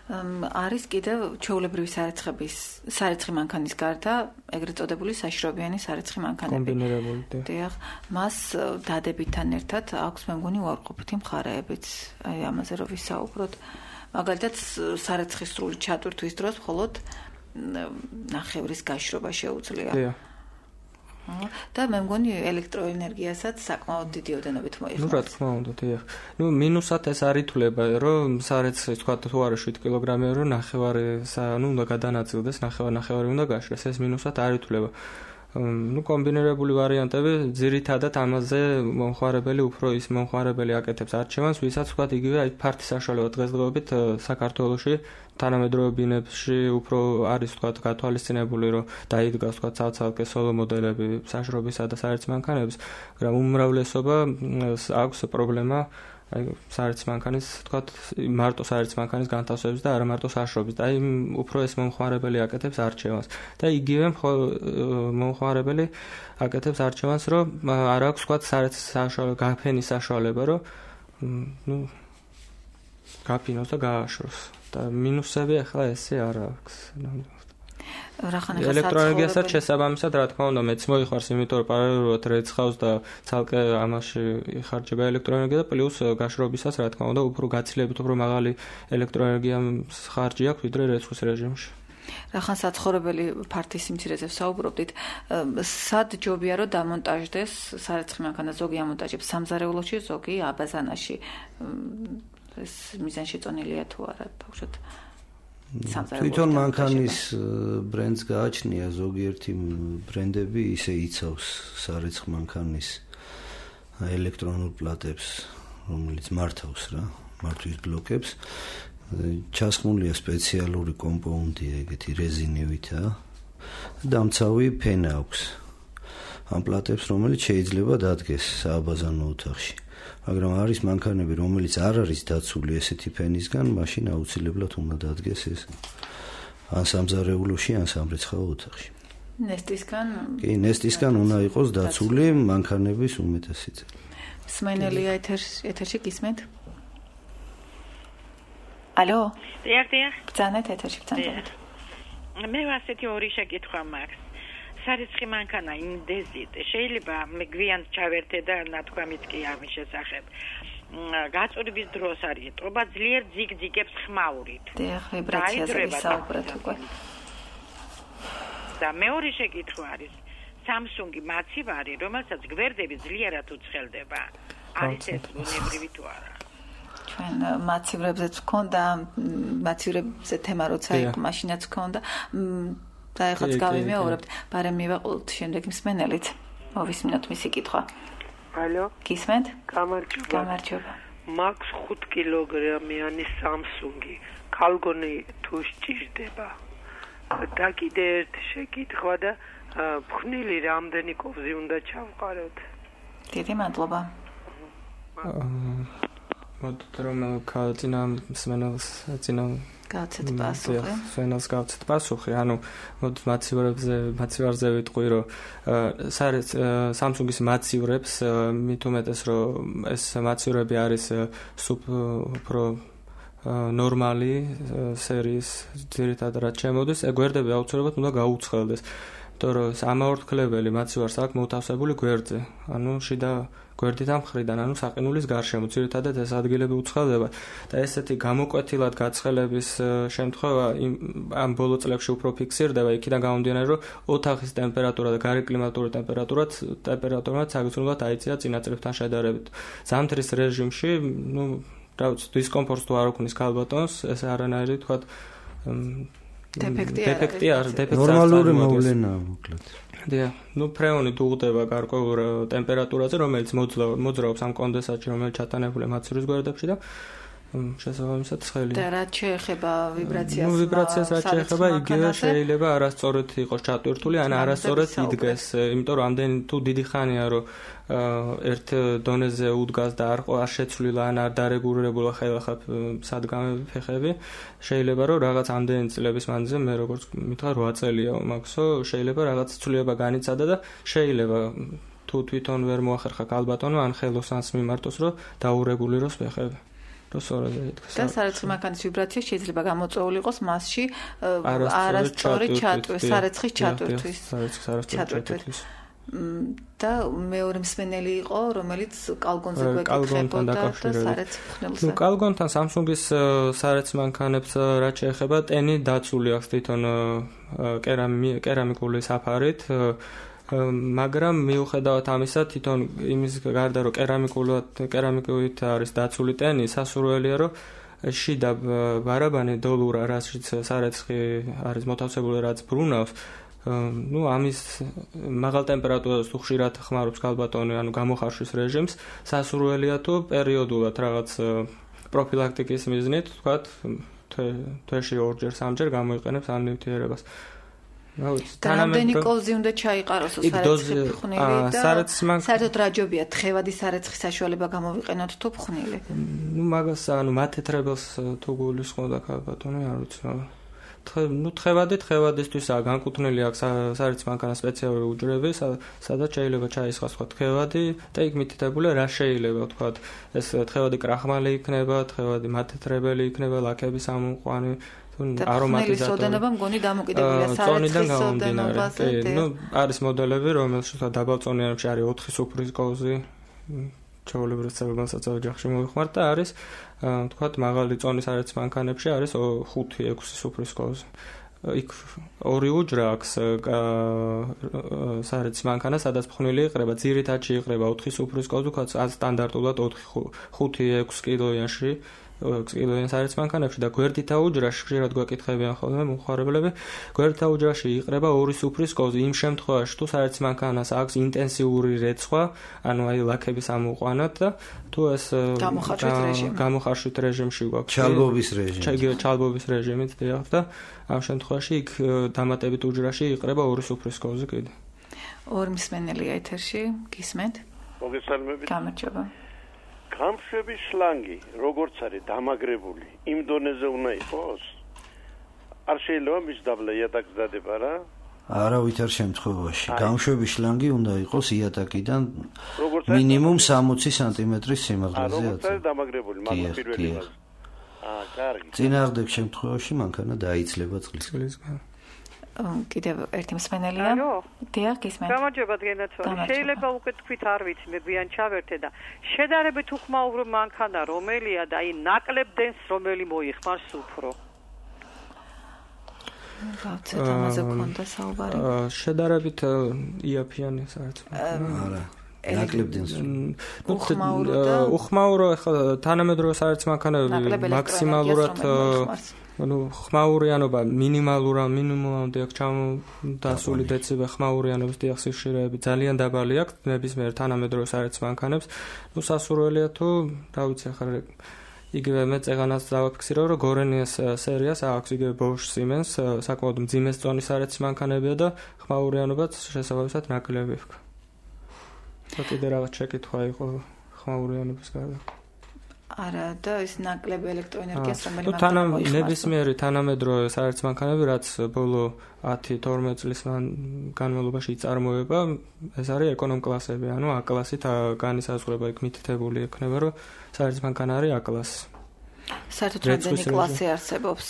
[SPEAKER 2] არის კიდევ ჩვეულებრივი სარეცხების სარეცხი მანქანის გარდა ეგრეთ წოდებული საშრობიანი სარეცხი მანქანები.
[SPEAKER 3] კომბინირებული.
[SPEAKER 2] დიახ, მას დადებითთან ერთად აქვს მე მგონი უარყოფითი მხარეებიც. აი ამაზე რო ვისაუბროთ. მაგალითად სარეცხის სრული ჩატვირთვის დროს მხოლოდ ნახევრის გაშრობა შეუძლია.
[SPEAKER 3] დიახ.
[SPEAKER 2] და მე მგონი ელექტროენერგიასაც საკმაოდ დიდი ოდენობით მოიხმარება.
[SPEAKER 3] ნუ რა თქმა უნდა, დიახ. ნუ მინუსად ეს არ ითვლება, რომ სარეცხის თქვა თუ არა შვიდ კილოგრამია, რომ ნახევარი, ნუ უნდა გადანაწილდეს, ნახევარი ნახევარი უნდა გაშრეს, ეს მინუსად არ ითვლება. ნუ კომბინირებული ვარიანტები ძირითადად ამაზე მომხმარებელი უფრო ის მომხმარებელი აკეთებს არჩევანს, ვისაც თქვა იგივე აი ფართი საშუალება დღესდღეობით საქართველოში თანამედროვე ბინებში უფრო არის თქვა გათვალისწინებული, რომ დაიდგას თქვა ცალ-ცალკე სოლო მოდელები საშრობისა და სარეცხი მანქანების, მაგრამ უმრავლესობა აქვს პრობლემა აი სარეცხი მანქანის თქვა მარტო სარეცხი მანქანის განთავსების და არა მარტო საშრობის. და აი უფრო ეს მომხმარებელი აკეთებს არჩევანს. და იგივე მომხმარებელი აკეთებს არჩევანს, რომ არ აქვს თქვა სარეცხი საშუალება, გაფენის საშუალება, რომ ნუ გაფინოს და გააშროს. და მინუსები ახლა ესე არ აქვს. ელექტროენერგიასაც შესაბამისად, რა თქმა უნდა, მეც მოიხარს, იმიტომ რომ პარალელურად რეცხავს და ცალკე ამაში იხარჯება ელექტროენერგია და პლუს გაშრობისას, რა თქმა უნდა, უფრო გაცილებით უფრო მაღალი ელექტროენერგიას ხარჯი აქვს, ვიდრე რეცხვის რეჟიმში.
[SPEAKER 2] რახან საცხოვრებელი ფართის სიმცირეზე ვსაუბრობდით, სად ჯობია რომ დამონტაჟდეს სარეცხი მანქანა, ზოგი ამონტაჟებს სამზარეულოში, ზოგი აბაზანაში. ეს მიზანში წონილია თუ არა, ბავშვად.
[SPEAKER 4] თვითონ მანქანის ბრენდს გააჩნია, ზოგიერთი ბრენდები ისე იცავს სარეცხი მანქანის ელექტრონულ პლატებს, რომელიც მართავს რა, მართვის ბლოკებს. ჩასხმულია სპეციალური კომპონენტი, ეგეთი რეზინივითა. დამცავი ფენა აქვს. ამ პლატებს, რომელიც შეიძლება დადგეს სააბაზანო ოთახში. მაგრამ არის მანქანები, რომელიც არ არის დაცული ესეთი ფენისგან, მაშინ აუცილებლად უნდა დადგეს ეს ან სამზარეულოში, ან სამრეცხაო ოთახში.
[SPEAKER 2] ნესტისგან?
[SPEAKER 4] კი, ნესტისგან უნდა იყოს დაცული მანქანების უმეტესი წილი.
[SPEAKER 2] სმენელია ეთერში გისმენთ? ალო?
[SPEAKER 12] დიახ, დიახ.
[SPEAKER 2] ბრძანეთ ეთერში, ბრძანეთ.
[SPEAKER 12] მე ასეთი ორი შეკითხვა მაქვს. სარეცხი მანქანა ინდეზით შეიძლება მე გვიან ჩავერთე და ნათქვამიც კი ამის შესახებ. გაწურვის დროს არის ეტყობა ძლიერ ძიგძიგებს ხმაურით.
[SPEAKER 2] დიახ, ვიბრაციაზე ვისაუბრეთ უკვე.
[SPEAKER 12] და მეორე შეკითხვა არის Samsung-ი მაცივარი, რომელსაც გვერდები ძლიერად უცხელდება. არის ეს უნებრივი თუ არა?
[SPEAKER 2] ჩვენ მაცივრებზეც ვქონდა, მაცივრებზე თემა როცა იყო, მაშინაც ვქონდა. და ეხლაც გავიმეორებთ, ბარემ მივაყოლთ შემდეგ მსმენელით. მოვისმინოთ მისი კითხვა.
[SPEAKER 13] ალო?
[SPEAKER 2] გისმენთ?
[SPEAKER 13] გამარჯობა.
[SPEAKER 2] გამარჯობა.
[SPEAKER 13] მაქვს ხუთ კილოგრამიანი Samsung-ი. ქალგონი თუ სჭირდება. და კიდე ერთი შეკითხვა და ფხნილი რამდენი კოვზი უნდა ჩავყაროთ?
[SPEAKER 2] დიდი მადლობა.
[SPEAKER 3] მოდით რომ კაინა მსმენელს წინა
[SPEAKER 2] გავცეთ პასუხი.
[SPEAKER 3] სვენელს გავცეთ პასუხი. ანუ მოდით მაცივრებზე, მაცივარზე ვიტყვი, რომ Samsung-ის მაცივრებს მით უმეტეს რომ ეს მაცივრები არის უფრო ნორმალი სერიის ძირითადად რაც შემოდის, გვერდები აუცილებლად უნდა გაუცხელდეს. იმიტომ რომ ამაორთქლებელი მაცივარს აქვს მოთავსებული გვერდზე. ანუ შიდა გვერდით ამ მხრიდან, ანუ საყინულის გარშემო, ძირითადად ეს ადგილები უცხელდება და ესეთი გამოკვეთილად გაცხელების შემთხვევა ამ ბოლო წლებში უფრო ფიქსირდება, იქიდან გამომდინარე, რომ ოთახის ტემპერატურა და გარეკლიმატური ტემპერატურაც ტემპერატურაც საგრძნობლად აიწია წინა წლებთან შედარებით. ზამთრის რეჟიმში, ну, რა ვიცი, დისკომფორტს თუ არ უქმნის ქალბატონს, ეს არანაირი თქვა
[SPEAKER 2] დეფექტი
[SPEAKER 3] დეფექტი არ დეფექტი
[SPEAKER 4] ნორმალური მოვლენაა მოკლედ.
[SPEAKER 3] დიახ, ну ფრეონი დუღდება გარკვეულ ტემპერატურაზე, რომელიც მოძრაობს ამ კონდენსატში, რომელიც ჩატანებულია მაცივრის გვერდებში და შესაბამისად ცხელი.
[SPEAKER 2] და რა შეეხება ვიბრაციას?
[SPEAKER 3] ნუ ვიბრაციას რა შეეხება, იგივე შეიძლება არასწორად იყოს ჩატვირთული, ან არასწორად იდგეს, იმიტომ რომ ამდენი თუ დიდი ხანია რომ ერთ დონეზე უდგას და არ არ შეცვლილა ან არ დარეგულირებულა ხელახლა სადგამები ფეხები, შეიძლება რომ რაღაც ამდენი წლების მანძილზე მე როგორც მითხრა რვა წელია მაქსო, შეიძლება რაღაც ცვლილება განიცადა და შეიძლება თუ თვითონ ვერ მოახერხა ქალბატონო ან ხელოს ან მიმართოს რომ დაურეგულიროს ფეხები.
[SPEAKER 2] და სარეცხი მანქანის ვიბრაცია შეიძლება გამოწვეული იყოს მასში არასწორი ჩატვირთვის, სარეცხის ჩატვირთვის. ჩატვირთვის. და მეორე მსმენელი იყო, რომელიც კალგონზე გვეკითხებოდა და სარეცხ ხნელზე.
[SPEAKER 3] ნუ კალგონთან Samsung-ის სარეცხ მანქანებს რაც შეეხება, ტენი დაცული აქვს თვითონ კერამიკული საფარით. მაგრამ მიუხედავად ამისა, თვითონ იმის გარდა რომ კერამიკულად კერამიკით არის დაცული ტენი, სასურველია რომ შიდა ბარაბანი დოლურა, რასაც სარეცხი არის მოთავსებული, რაც ბრუნავს, ну ამის მაღალ ტემპერატურას თუ ხშირად ხმარობს ქალბატონი, ანუ გამოხარშვის რეჟიმს, სასურველია თუ პერიოდულად რაღაც პროფილაქტიკის მიზნით, თქვათ, თვეში ორჯერ, სამჯერ გამოიყენებს ამ ნივთიერებას.
[SPEAKER 2] და რამდენი კოზი უნდა ჩაიყაროს სარეცხი ფხვნილი და საერთოდ რა ჯობია თხევადი სარეცხი საშუალება გამოვიყენოთ თუ ფხვნილი?
[SPEAKER 3] ნუ მაგას ანუ მათეთრებელს თუ გულისხმობდა ქალბატონი, არ ვიცი. ნუ თხევადი თხევადისთვისაა განკუთვნილი აქვს სარეცხ მანქანას სპეციალური უჯრები, სადაც შეიძლება ჩაისხას თქვა თხევადი და იქ მითითებულია რა შეიძლება თქვა ეს თხევადი კრახმალი იქნება, თხევადი მათეთრებელი იქნება, ლაქების ამოყვანი
[SPEAKER 2] არომატიზატორი. ოდენობა მგონი დამოკიდებულია სარეცხის ოდენობაზე.
[SPEAKER 3] ნუ არის მოდელები, რომელშიც დაბალწონიანებში არის ოთხი სუფრის კოზი, ჩაოლებრივ ცელებასაც ოჯახში მოიხმართ და არის თქვათ მაღალი წონის სარეცხ მანქანებში არის ხუთი ექვსი სუფრის კოზი. იქ ორი უჯრა აქვს სარეცხ მანქანა, სადაც ფხვნილი იყრება, ძირითადში იყრება ოთხი სუფრის კოზი, თქვათ სტანდარტულად ხუთი ექვსი კილოიანში კილოიან სარეცხ მანქანებში და გვერდითა უჯრაში ხშირად გვეკითხებიან ხოლმე მომხმარებლები, გვერდითა უჯრაში იყრება ორი სუფრის კოზი. იმ შემთხვევაში თუ სარეცხ მანქანას აქვს ინტენსიური რეცხვა, ანუ აი ლაქების ამოყვანად და თუ ეს გამოხარშვით რეჟიმში გვაქვს
[SPEAKER 4] ჩალბობის რეჟიმი.
[SPEAKER 3] ჩალბობის რეჟიმით დიახ და ამ შემთხვევაში იქ დამატებით უჯრაში იყრება ორი სუფრის კოზი კიდე.
[SPEAKER 2] ორი მსმენელია ეთერში, გისმენთ?
[SPEAKER 14] მოგესალმებით.
[SPEAKER 2] გამარჯობა.
[SPEAKER 14] გამშვების შლანგი, როგორც არის დამაგრებული, იმ დონეზე უნდა იყოს? არ შეიძლება მის დაბლა იატაკს დადება რა?
[SPEAKER 4] არა, ვითარ შემთხვევაში. გამშვების შლანგი უნდა იყოს იატაკიდან მინიმუმ სამოცი სანტიმეტრის სიმაღლეზე.
[SPEAKER 14] როგორც არის დამაგრებული, მაგრამ პირველი მას. აა, კარგი.
[SPEAKER 4] წინააღმდეგ შემთხვევაში მანქანა დაიცლება წყლისგან.
[SPEAKER 2] კიდევ ერთი მსმენელია. დიახ, გისმენთ.
[SPEAKER 8] გამარჯობა დგენაცვალი. შეიძლება უკვე თქვით არ ვიცი, მე გვიან ჩავერთე და შედარებით უხმაურო მანქანა რომელია და აი ნაკლებ დენს რომელი მოიხმარს უფრო?
[SPEAKER 2] გავცეთ ამაზე გქონდა საუბარი.
[SPEAKER 3] შედარებით იაფიანი საერთოდ.
[SPEAKER 4] არა. ნაკლებ დენს.
[SPEAKER 2] უხმაურო და
[SPEAKER 3] უხმაურო ახლა თანამედროვე საერთოდ მანქანები მაქსიმალურად ანუ ხმაურიანობა მინიმალურა მინიმუმამდე აქვს ჩამოდასული დეციბე ხმაურიანობის დიახ სიხშირეები ძალიან დაბალი აქვს ნებისმიერ თანამედროვე საერთოდ მანქანებს. ნუ სასურველია თუ რა ვიცი ახლა იგივე მე წეღანას დავაფიქსირო რომ გორენიას სერიას აქვს იგივე Bosch Siemens საკმაოდ მძიმე წონის საერთოდ მანქანებია და ხმაურიანობაც შესაბამისად ნაკლები აქვს. კიდე რაღაც შეკითხვა იყო ხმაურიანობის გარდა.
[SPEAKER 2] არა და ეს ნაკლები ელექტროენერგიას რომელიც
[SPEAKER 3] მოიხმარს. ნებისმიერი თანამედროვე საერთოდ მანქანები რაც ბოლო ათი თორმეტ წლის განმავლობაში იწარმოება, ეს არის ეკონომ კლასები, ანუ A კლასით განისაზღვრება იქ მითითებული ექნება, რომ საერთოდ მანქანა არის A კლასი.
[SPEAKER 2] საერთოდ რამდენი კლასი არსებობს?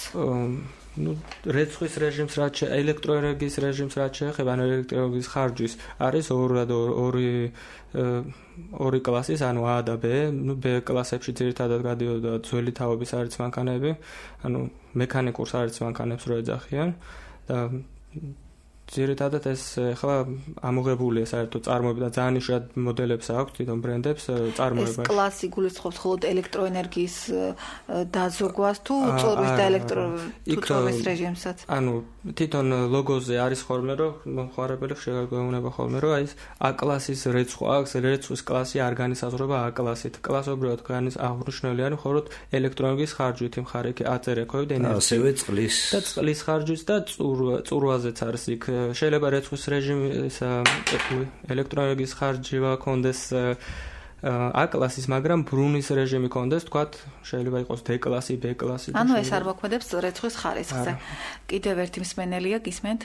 [SPEAKER 3] ну რეცხვის რეჟიმს რაც ელექტროენერგიის რეჟიმს რაც შეეხება ანუ ელექტროენერგიის ხარჯვის არის ორი ორი კლასის ანუ A და B, ну B კლასებში ძირითადად გადიოდა ძველი თაობის საერთოდ მანქანები, ანუ მექანიკურ საერთოდ მანქანებს რო ეძახიან და ძირითადად ეს ახლა ამოღებულია საერთოდ წარმოება და ძალიან იშვიათ მოდელებს აქვს თვითონ ბრენდებს წარმოებაში.
[SPEAKER 2] ეს კლასი გულისხმობს მხოლოდ ელექტროენერგიის დაზოგვას თუ წორვის და ელექტროწორვის რეჟიმსაც?
[SPEAKER 3] ანუ თვითონ ლოგოზე არის ხოლმე რომ მომხმარებელი შეგვეუბნება ხოლმე რომ აი ეს A კლასის რეცხვა აქვს, რეცხვის კლასი არ განისაზღვრება A კლასით. კლასობრივად განის აღნიშნულია მხოლოდ ელექტროენერგიის ხარჯვით მხარე კი აწერექვები და ენერგია.
[SPEAKER 4] ასევე წყლის
[SPEAKER 3] და წყლის ხარჯვით და წურვაზეც არის იქ შეიძლება რეცხვის რეჟიმი ელექტროენერგიის ხარჯი ვაქონდეს A კლასის, მაგრამ ბრუნის რეჟიმი კონდეს, თქვათ, შეიძლება იყოს D კლასი, B კლასი.
[SPEAKER 2] ანუ ეს არ მოქმედებს რეცხვის ხარისხზე. კიდევ ერთი მსმენელია, გისმენთ?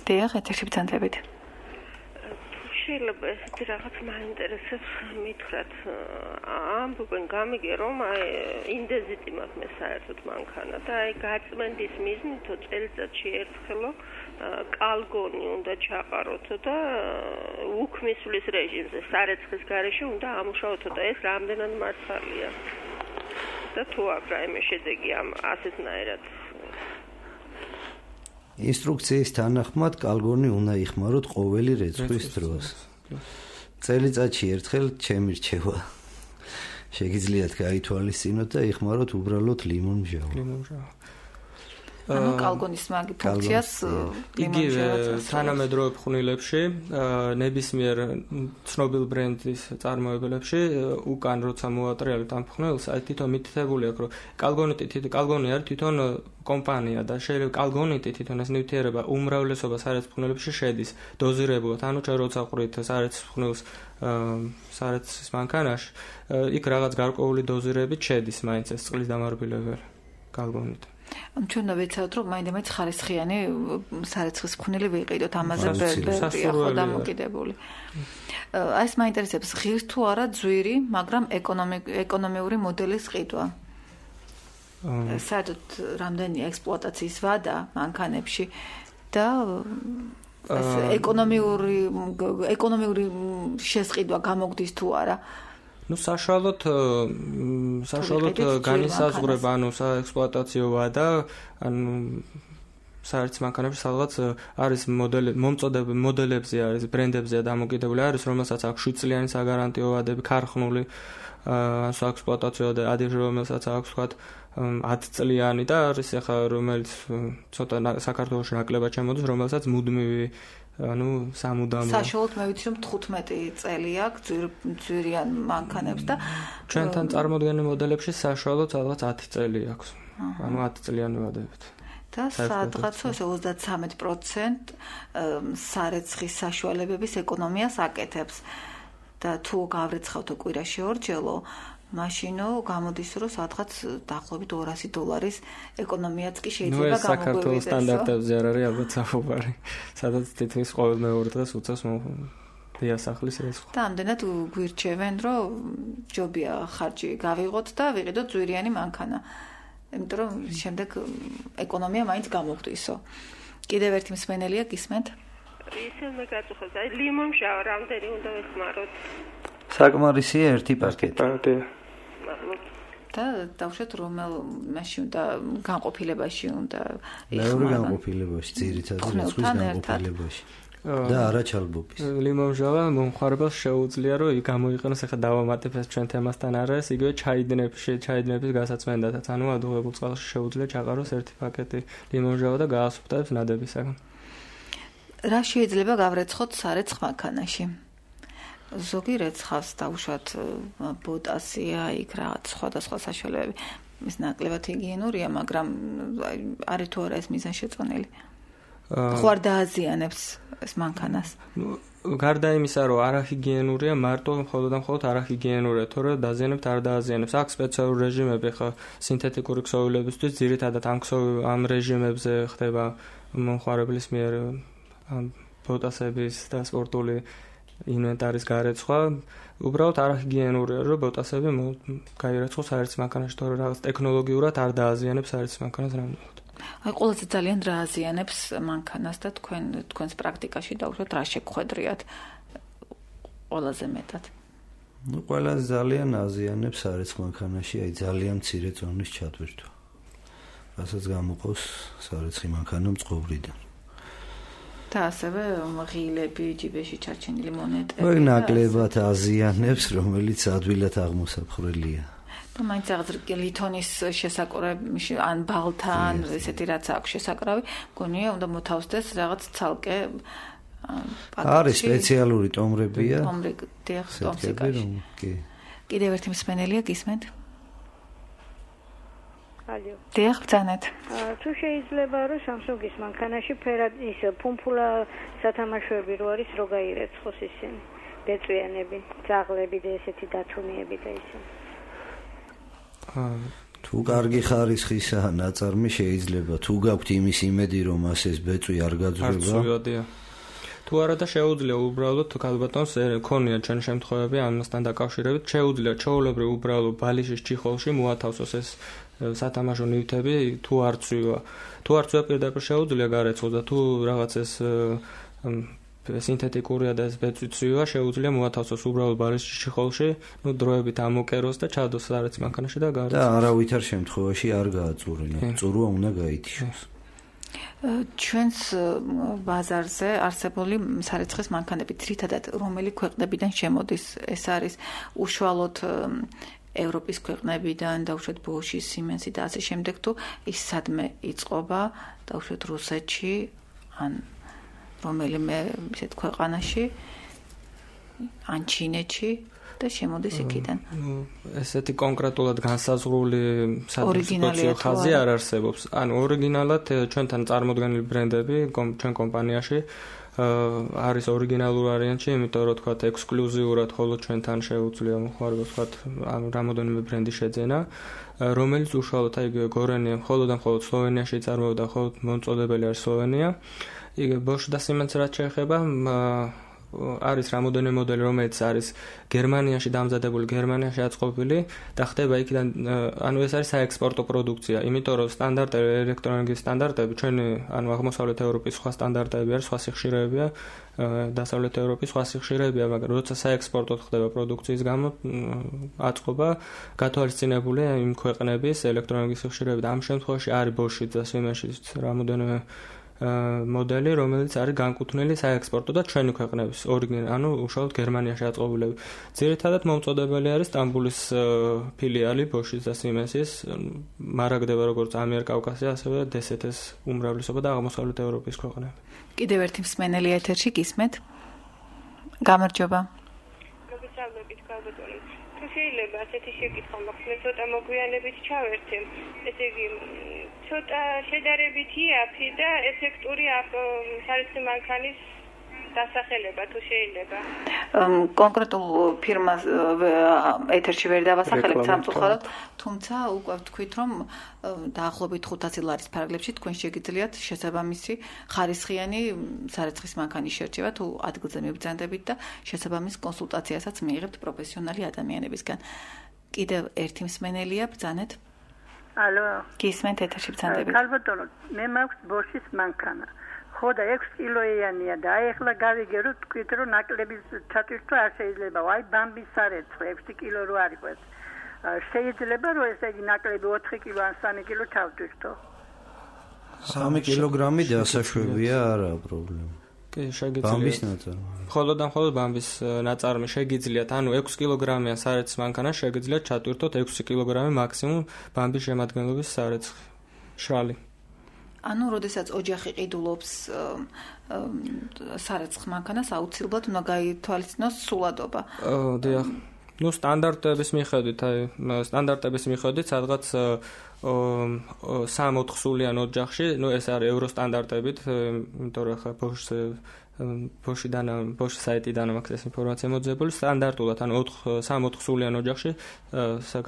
[SPEAKER 2] დიახ, ეთერში ბრძანდებით.
[SPEAKER 15] შეიძლება ესეთი რაღაც მაინტერესებს მითხრათ. ამბობენ გამიგე რომ აი ინდეზიტი მაქვს მე საერთოდ მანქანა და აი გაწმენდის მიზნით წელიწადში ერთხელო კალგონი უნდა ჩაყაროთო და უქმისვლის რეჟიმზე სარეცხის გარეშე უნდა ამუშავოთო და ეს რამდენად მართალია. და თუ აქვს რაიმე შედეგი ამ ასეთნაირად
[SPEAKER 4] ინსტრუქციის თანახმად კალგონი უნდა იხმაროთ ყოველი რეცხვის დროს. წელიწადში ერთხელ ჩემი რჩევა. შეგიძლიათ გაითვალისწინოთ და იხმაროთ უბრალოდ ლიმონმჟავა.
[SPEAKER 3] ლიმონმჟავა.
[SPEAKER 2] ანუ კალგონის მაგი ფუნქციას
[SPEAKER 3] ლიმონმჟავას თანამედროვე ფხვნილებში, ნებისმიერ ცნობილ ბრენდის წარმოებელებში უკან როცა მოატრიალეთ ამ ფხვნილს, აი თვითონ მითითებული აქვს, რომ კალგონიტი თვითონ კალგონი არის თვითონ კომპანია და შეიძლება კალგონიტი თვითონ ეს ნივთიერება უმრავლესობა სარეცხ ფხვნილებში შედის დოზირებულად. ანუ ჩვენ როცა ყვრით სარეცხ ფხვნილს სარეცხის მანქანაში, იქ რაღაც გარკვეული დოზირებით შედის მაინც ეს წყლის დამარბილებელი კალგონიტი.
[SPEAKER 2] ანუ ჩვენ დავეცადოთ რომ მაინდამაინც ხარისხიანი სარეცხის ფხვნილი ვიყიდოთ, ამაზე ბერბერია ხო დამოკიდებული. აი ეს მაინტერესებს ღირს თუ არა ძვირი, მაგრამ ეკონომიური მოდელის ყიდვა. საერთოდ რამდენია ექსპლუატაციის ვადა მანქანებში და ეს ეკონომიური ეკონომიური შესყიდვა გამოგდის თუ არა?
[SPEAKER 3] ну საშუალოდ საშუალოდ განისაზღვრება ანუ საექსპლუატაციო ვადა ანუ საერთოდ მანქანებში სადღაც არის მოდელი მომწოდები მოდელებზე არის ბრენდებზეა დამოკიდებული არის რომელსაც აქვს შვიდ წლიანი საგარანტიო ვადები ქარხნული საექსპლუატაციო და ადრე რომელსაც აქვს თქვათ ათი წლიანი და არის ახლა რომელიც ცოტა საქართველოში ნაკლებად შემოდის რომელსაც მუდმივი ანუ სამუდამო
[SPEAKER 2] საშუალოდ მე ვიცი რომ თხუთმეტი წელი აქვს ძვირიან მანქანებს და
[SPEAKER 3] ჩვენთან წარმოდგენილ მოდელებში საშუალოდ სადღაც ათი წელი აქვს ანუ ათი წლიანი ვადებით
[SPEAKER 2] და სადღაც ოცდათრამეტი პროცენტი სარეცხის საშუალებების ეკონომიას აკეთებს და თუ გავრეცხავთ კვირაში ორჯერ მაშინო გამოდის რომ სადღაც დაახლოებით ორასი დოლარის ეკონომიაც კი შეიძლება გამოგვივიდეს. ნუ ეს საქართველოს
[SPEAKER 3] სტანდარტებზე არ არის ალბათ საფუძვარი. სადაც თითქმის ყოველ მეორე დღეს უწევს დიასახლის რეცხვა.
[SPEAKER 2] და ამდენად გვირჩევენ რომ ჯობია ხარჯი გავიღოთ და ვიყიდოთ ძვირიანი მანქანა. იმიტომ რომ შემდეგ ეკონომია მაინც გამოგვდისო. კიდევ ერთი მსმენელია გისმენთ?
[SPEAKER 15] ისე მე გაწუხებს. აი ლიმონმჟავა რამდენი უნდა ვეხმაროთ?
[SPEAKER 4] საკმარისია ერთი პაკეტი.
[SPEAKER 2] და დავუშვათ რომელ მაშინ უნდა განყოფილებაში უნდა
[SPEAKER 4] მეორე განყოფილებაში ძირითადად რიცხვის განყოფილებაში და არა ჩალბობის
[SPEAKER 3] ლიმონმჟავა მომხმარებელს შეუძლია რომ გამოიყენოს ახლა დავამატებთ ჩვენ თემასთან არის იგივე ჩაიდინებში ჩაიდინების გასაცმენდათაც ანუ ადუღებულ წყალში შეუძლია ჩაყაროს ერთი პაკეტი ლიმონმჟავა და გაასუფთავებს ნადებისაგან
[SPEAKER 2] რა შეიძლება გავრეცხოთ სარეცხ მანქანაში ზოგი რეცხავს დავუშვათ პოტასია იქ რაღაც სხვადასხვა საშუალებები ის ნაკლებად ჰიგიენურია მაგრამ არის თუ არა ეს მიზანშეწონილი ხო არ დააზიანებს ეს მანქანას
[SPEAKER 3] გარდა იმისა რომ არაჰიგიენურია მარტო მხოლოდ და მხოლოდ არაჰიგიენურია თორე დაზიანებთ არ დააზიანებს აქვს სპეციალური რეჟიმები ხა სინთეთიკური ქსოვილებისთვის ძირითადად ამ ამ რეჟიმებზე ხდება მომხმარებლის მიერ პოტასების და სპორტული ინვენტარის გარეცხვა უბრალოდ არაჰიგიენურია რომ პოტასები გაირეცხოს საერთო მანქანაში თორე რაღაც ტექნოლოგიურად არ დააზიანებს საერთო მანქანას რამდენად
[SPEAKER 2] აი ყველაზე ძალიან რა აზიანებს მანქანას და თქვენ თქვენს პრაქტიკაში დავუშვათ რა შეგხვედრიათ ყველაზე მეტად
[SPEAKER 4] ну ყველაზე ძალიან აზიანებს საერთო მანქანაში აი ძალიან მცირე ზონის ჩატვირთვა რასაც გამოყავს საერთო მანქანა მწყობრიდან
[SPEAKER 2] და ასევე ღილები, ჯიბეში ჩარჩენილი მონეტები.
[SPEAKER 4] ოი ნაკლებად აზიანებს, რომელიც ადვილად აღმოსაფხრელია.
[SPEAKER 2] და მაინც რაღაც ლითონის შესაკურები, ან ბალთან, ესეთი რაც აქვს შესაკრავი, მგონია უნდა მოთავსდეს რაღაც ცალკე
[SPEAKER 4] არის სპეციალური ტომრებია.
[SPEAKER 2] ტომრები, დიახ, ტომსიკაში. კიდევ ერთი მსმენელია გისმენთ?
[SPEAKER 6] ალო.
[SPEAKER 2] დიახ, ბრძანეთ.
[SPEAKER 6] თუ შეიძლება რომ Samsung-ის მანქანაში ფერად ის პუმპულა სათამაშოები რო არის, რო გაირეცხოს ისინი. ბეწვიანები, ძაღლები და ესეთი დათუნიები და ისინი.
[SPEAKER 4] თუ კარგი ხარისხისაა ნაწარმი შეიძლება, თუ გაქვთ იმის იმედი რომ ასეს ბეწვი არ გაძვრება.
[SPEAKER 3] თუ არა და შეუძლია უბრალოდ ქალბატონს ქონია ჩვენ შემთხვევები ამასთან დაკავშირებით შეუძლია ჩაოლებრივ უბრალოდ ბალიშის ჩიხოლში მოათავსოს ეს სათამაშო ნივთები თუ არ წვივა თუ არ წვივა პირდაპირ შეუძლია გარეცხოს და თუ რაღაც ეს სინთეტიკურია და ეს ბეწვი წვივა შეუძლია მოათავსოს უბრალოდ ბალიშის ჩიხოლში ნუ დროებით ამოკეროს და ჩადოს სარეც მანქანაში და გარეცხოს
[SPEAKER 4] და არავითარ შემთხვევაში არ გააწურინა წურვა უნდა გაითიშოს
[SPEAKER 2] ჩვენს ბაზარზე არსებული სარეცხის მანქანები ძირითადად რომელი ქვეყნებიდან შემოდის ეს არის უშუალოდ ევროპის ქვეყნებიდან დაუშვათ ბოში, სიმენსი და ასე შემდეგ თუ ის სადმე იწყობა დაუშვათ რუსეთში ან რომელიმე ისეთ ქვეყანაში ან ჩინეთში და შემოდის იქიდან.
[SPEAKER 3] ნუ ესეთი კონკრეტულად განსაზღვრული სპეციალური ხაზი არ არსებობს. ანუ ორიგინალად ჩვენთან წარმოდგენილი ბრენდები ჩვენ კომპანიაში არის ორიგინალურ ვარიანტში, იმიტომ რომ თქვა ექსკლუზიურად ხოლო ჩვენთან შეუძლია მოხმარებას თქვა ანუ რამოდენიმე ბრენდი შეძენა, რომელიც უშუალოდ აი გორენია მხოლოდ და მხოლოდ სლოვენიაში წარმოდა, ხოლო მომწოდებელი არის სლოვენია. იგივე Bosch და Siemens რაც შეეხება არის რამოდენიმე მოდელი, რომელიც არის გერმანიაში დამზადებული, გერმანიაში აწყობილი და ხდება იქიდან, ანუ ეს არის საექსპორტო პროდუქცია, იმიტომ რომ სტანდარტები, ელექტრონიკის სტანდარტები, ჩვენი, ანუ აღმოსავლეთ ევროპის სხვა სტანდარტები არის, სხვა სიხშირეებია, დასავლეთ ევროპის სხვა სიხშირეებია, მაგრამ როცა საექსპორტოდ ხდება პროდუქციის გამო აწყობა, გათვალისწინებულია იმ ქვეყნების ელექტრონიკის სიხშირეები და ამ შემთხვევაში არის Bosch და Siemens-ის რამოდენიმე მოდელი, რომელიც არის განკუთვნილი საექსპორტო და ჩვენი ქვეყნების ორიგინალი, ანუ უშუალოდ გერმანიაში აწყობილები. ძირითადად მომწოდებელი არის სტამბულის ფილიალი Bosch-ის და Siemens-ის, მარაგდება როგორც ამიერკავკასია, ასევე დე ეს ეტ-ის უმრავლესობა და აღმოსავლეთ ევროპის ქვეყნები.
[SPEAKER 2] კიდევ ერთი მსმენელი ეთერში გისმენთ? გამარჯობა.
[SPEAKER 16] მოგესალმებით, ქალბატონო. თუ შეიძლება ასეთი შეკითხვა მაქვს, მე ცოტა მოგვიანებით ჩავერთე. ესე იგი ცოტა შედარებით იაფი და ეფექტური სარეცხი მანქანის დასახელება თუ შეიძლება.
[SPEAKER 2] კონკრეტულ ფირმას ეთერში ვერ დავასახელებთ სამწუხაროდ, თუმცა უკვე ვთქვით, რომ დაახლოებით ხუთასი ლარის ფარგლებში თქვენ შეგიძლიათ შესაბამისი ხარისხიანი სარეცხის მანქანის შერჩევა თუ ადგილზე მიბრძანდებით და შესაბამის კონსულტაციასაც მიიღებთ პროფესიონალი ადამიანებისგან. კიდევ ერთი მსმენელია, ბრძანეთ.
[SPEAKER 9] ალო.
[SPEAKER 2] გისმენთ ეთერში ბრძანდებით.
[SPEAKER 9] ქალბატონო, მე მაქვს Bosch-ის მანქანა. ხო და ექვსი კილოიანია და აი ახლა გავიგე რომ თქვით რომ ნაკლების ჩატვირთვა არ შეიძლება. აი ბამბის სარეცხი ექვსი კილო რო არ იყოს. შეიძლება რომ ესე იგი ნაკლები ოთხი კილო ან სამი კილო ჩავტვირთო.
[SPEAKER 4] სამი კილოგრამი დასაშვებია, არა პრობლემა.
[SPEAKER 3] კი, შეგიძლიათ. ბამბის ნაწარმი. მხოლოდ და მხოლოდ ბამბის ნაწარმი შეგიძლიათ, ანუ ექვსი კილოგრამიან სარეცხის მანქანას შეგიძლიათ ჩატვირთოთ ექვსი კილოგრამი მაქსიმუმ ბამბის შემადგენლობის სარეცხი. შრალი.
[SPEAKER 2] ანუ როდესაც ოჯახი ყიდულობს სარეცხ მანქანას აუცილებლად უნდა გაითვალისწინოს სულადობა.
[SPEAKER 3] დიახ. ნუ სტანდარტების მიხედვით, აი სტანდარტების მიხედვით სადღაც სამი-ოთხ სულიან ოჯახში, ნუ ეს არის ევრო სტანდარტებით, იმიტომ რომ ხა Bosch Bosch-დან Bosch საიტიდან მაქვს ეს ინფორმაცია მოძებული, სტანდარტულად, ანუ სამი-ოთხ სულიან ოჯახში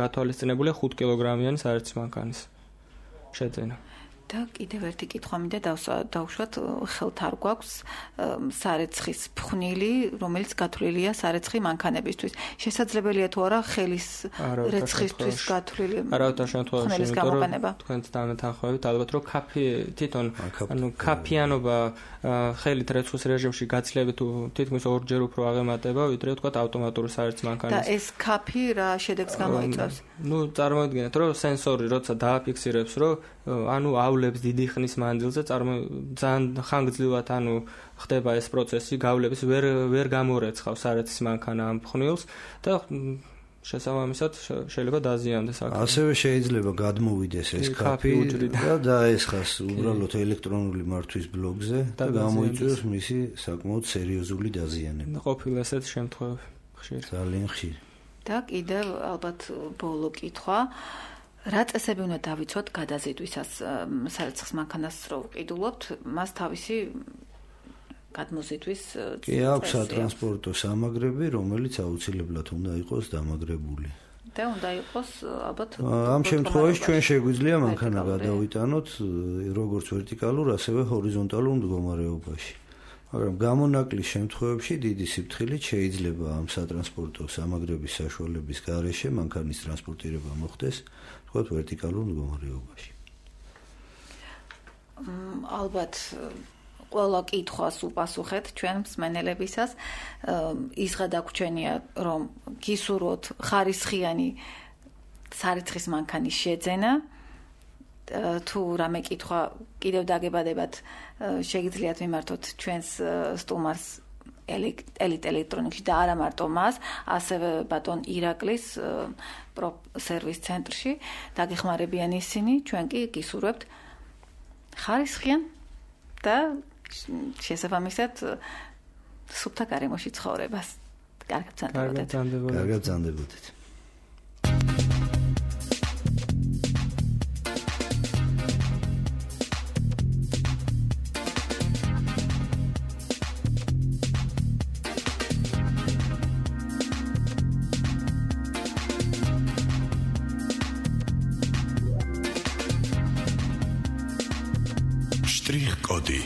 [SPEAKER 3] გათვალისწინებულია ხუთი კილოგრამიანი სარეცხის მანქანის შეძენა.
[SPEAKER 2] და კიდევ ერთი კითხვა მინდა დავუშვათ, ხელთ არ გვაქვს სარეცხის ფხვნილი, რომელიც გათვლილია სარეცხი მანქანებისთვის. შესაძლებელია თუ არა ხელის რეცხისთვის გათვლილი ფხვნილის გამოყენება?
[SPEAKER 3] თქვენც დამეთანხმებით, ალბათ რომ კაფი თვითონ, ანუ კაფიანობა ხელით რეცხვის რეჟიმში გაცილებით თითქმის ორჯერ უფრო აღემატება, ვიდრე თქვა ავტომატური სარეცხი მანქანის.
[SPEAKER 2] და ეს კაფი რა შედეგს გამოიწვევს?
[SPEAKER 3] ნუ წარმოიდგინეთ, რომ სენსორი როცა დააფიქსირებს, რომ ანუ გავლებს დიდი ხნის მანძილზე, ძალიან ხანგრძლივად ანუ ხდება ეს პროცესი, გავლებს ვერ ვერ გამორეცხავს სარეცხის მანქანა ამ ფხვნილს და შესაბამისად შეიძლება დაზიანდეს აქ.
[SPEAKER 4] ასევე შეიძლება გადმოვიდეს ეს კაფი და დაესხას უბრალოდ ელექტრონული მართვის ბლოკზე და გამოიწვიოს მისი საკმაოდ სერიოზული დაზიანება.
[SPEAKER 3] ყოფილა ესეთ შემთხვევები ხშირ.
[SPEAKER 4] ძალიან ხშირ.
[SPEAKER 2] და კიდევ ალბათ ბოლო კითხვა, რა წესები უნდა დავიცვათ გადაზიდვისას სარეცხის მანქანას რო ვყიდულობთ, მას თავისი გადმოზიდვის
[SPEAKER 4] კი აქვს სატრანსპორტო სამაგრები, რომელიც აუცილებლად უნდა იყოს დამაგრებული.
[SPEAKER 2] და უნდა იყოს ალბათ
[SPEAKER 4] ამ შემთხვევაში ჩვენ შეგვიძლია მანქანა გადავიტანოთ როგორც ვერტიკალურ, ასევე ჰორიზონტალურ მდგომარეობაში. მაგრამ გამონაკლის შემთხვევებში დიდი სიფრთხილით შეიძლება ამ სატრანსპორტო სამაგრების საშუალების გარეშე მანქანის ტრანსპორტირება მოხდეს, თქვათ ვერტიკალურ მდგომარეობაში.
[SPEAKER 2] ალბათ ყველა კითხვას უპასუხეთ ჩვენ მსმენელებისას. ის გადაგვჩენია, რომ გისურვოთ ხარისხიანი სარეცხის მანქანის შეძენა. თუ რამე კითხვა კიდევ დაგებადებათ, შეგიძლიათ მიმართოთ ჩვენს სტუმარს ელიტ ელექტრონიკში და არა მარტო მას, ასევე ბატონ ირაკლის სერვის ცენტრში დაგეხმარებიან ისინი, ჩვენ კი გისურვებთ ხარისხიან და შესაბამისად სუფთა გარემოში ცხოვრებას. კარგად ბრძანდებოდეთ.
[SPEAKER 4] კარგად ბრძანდებოდეთ.
[SPEAKER 17] Strich-Kodi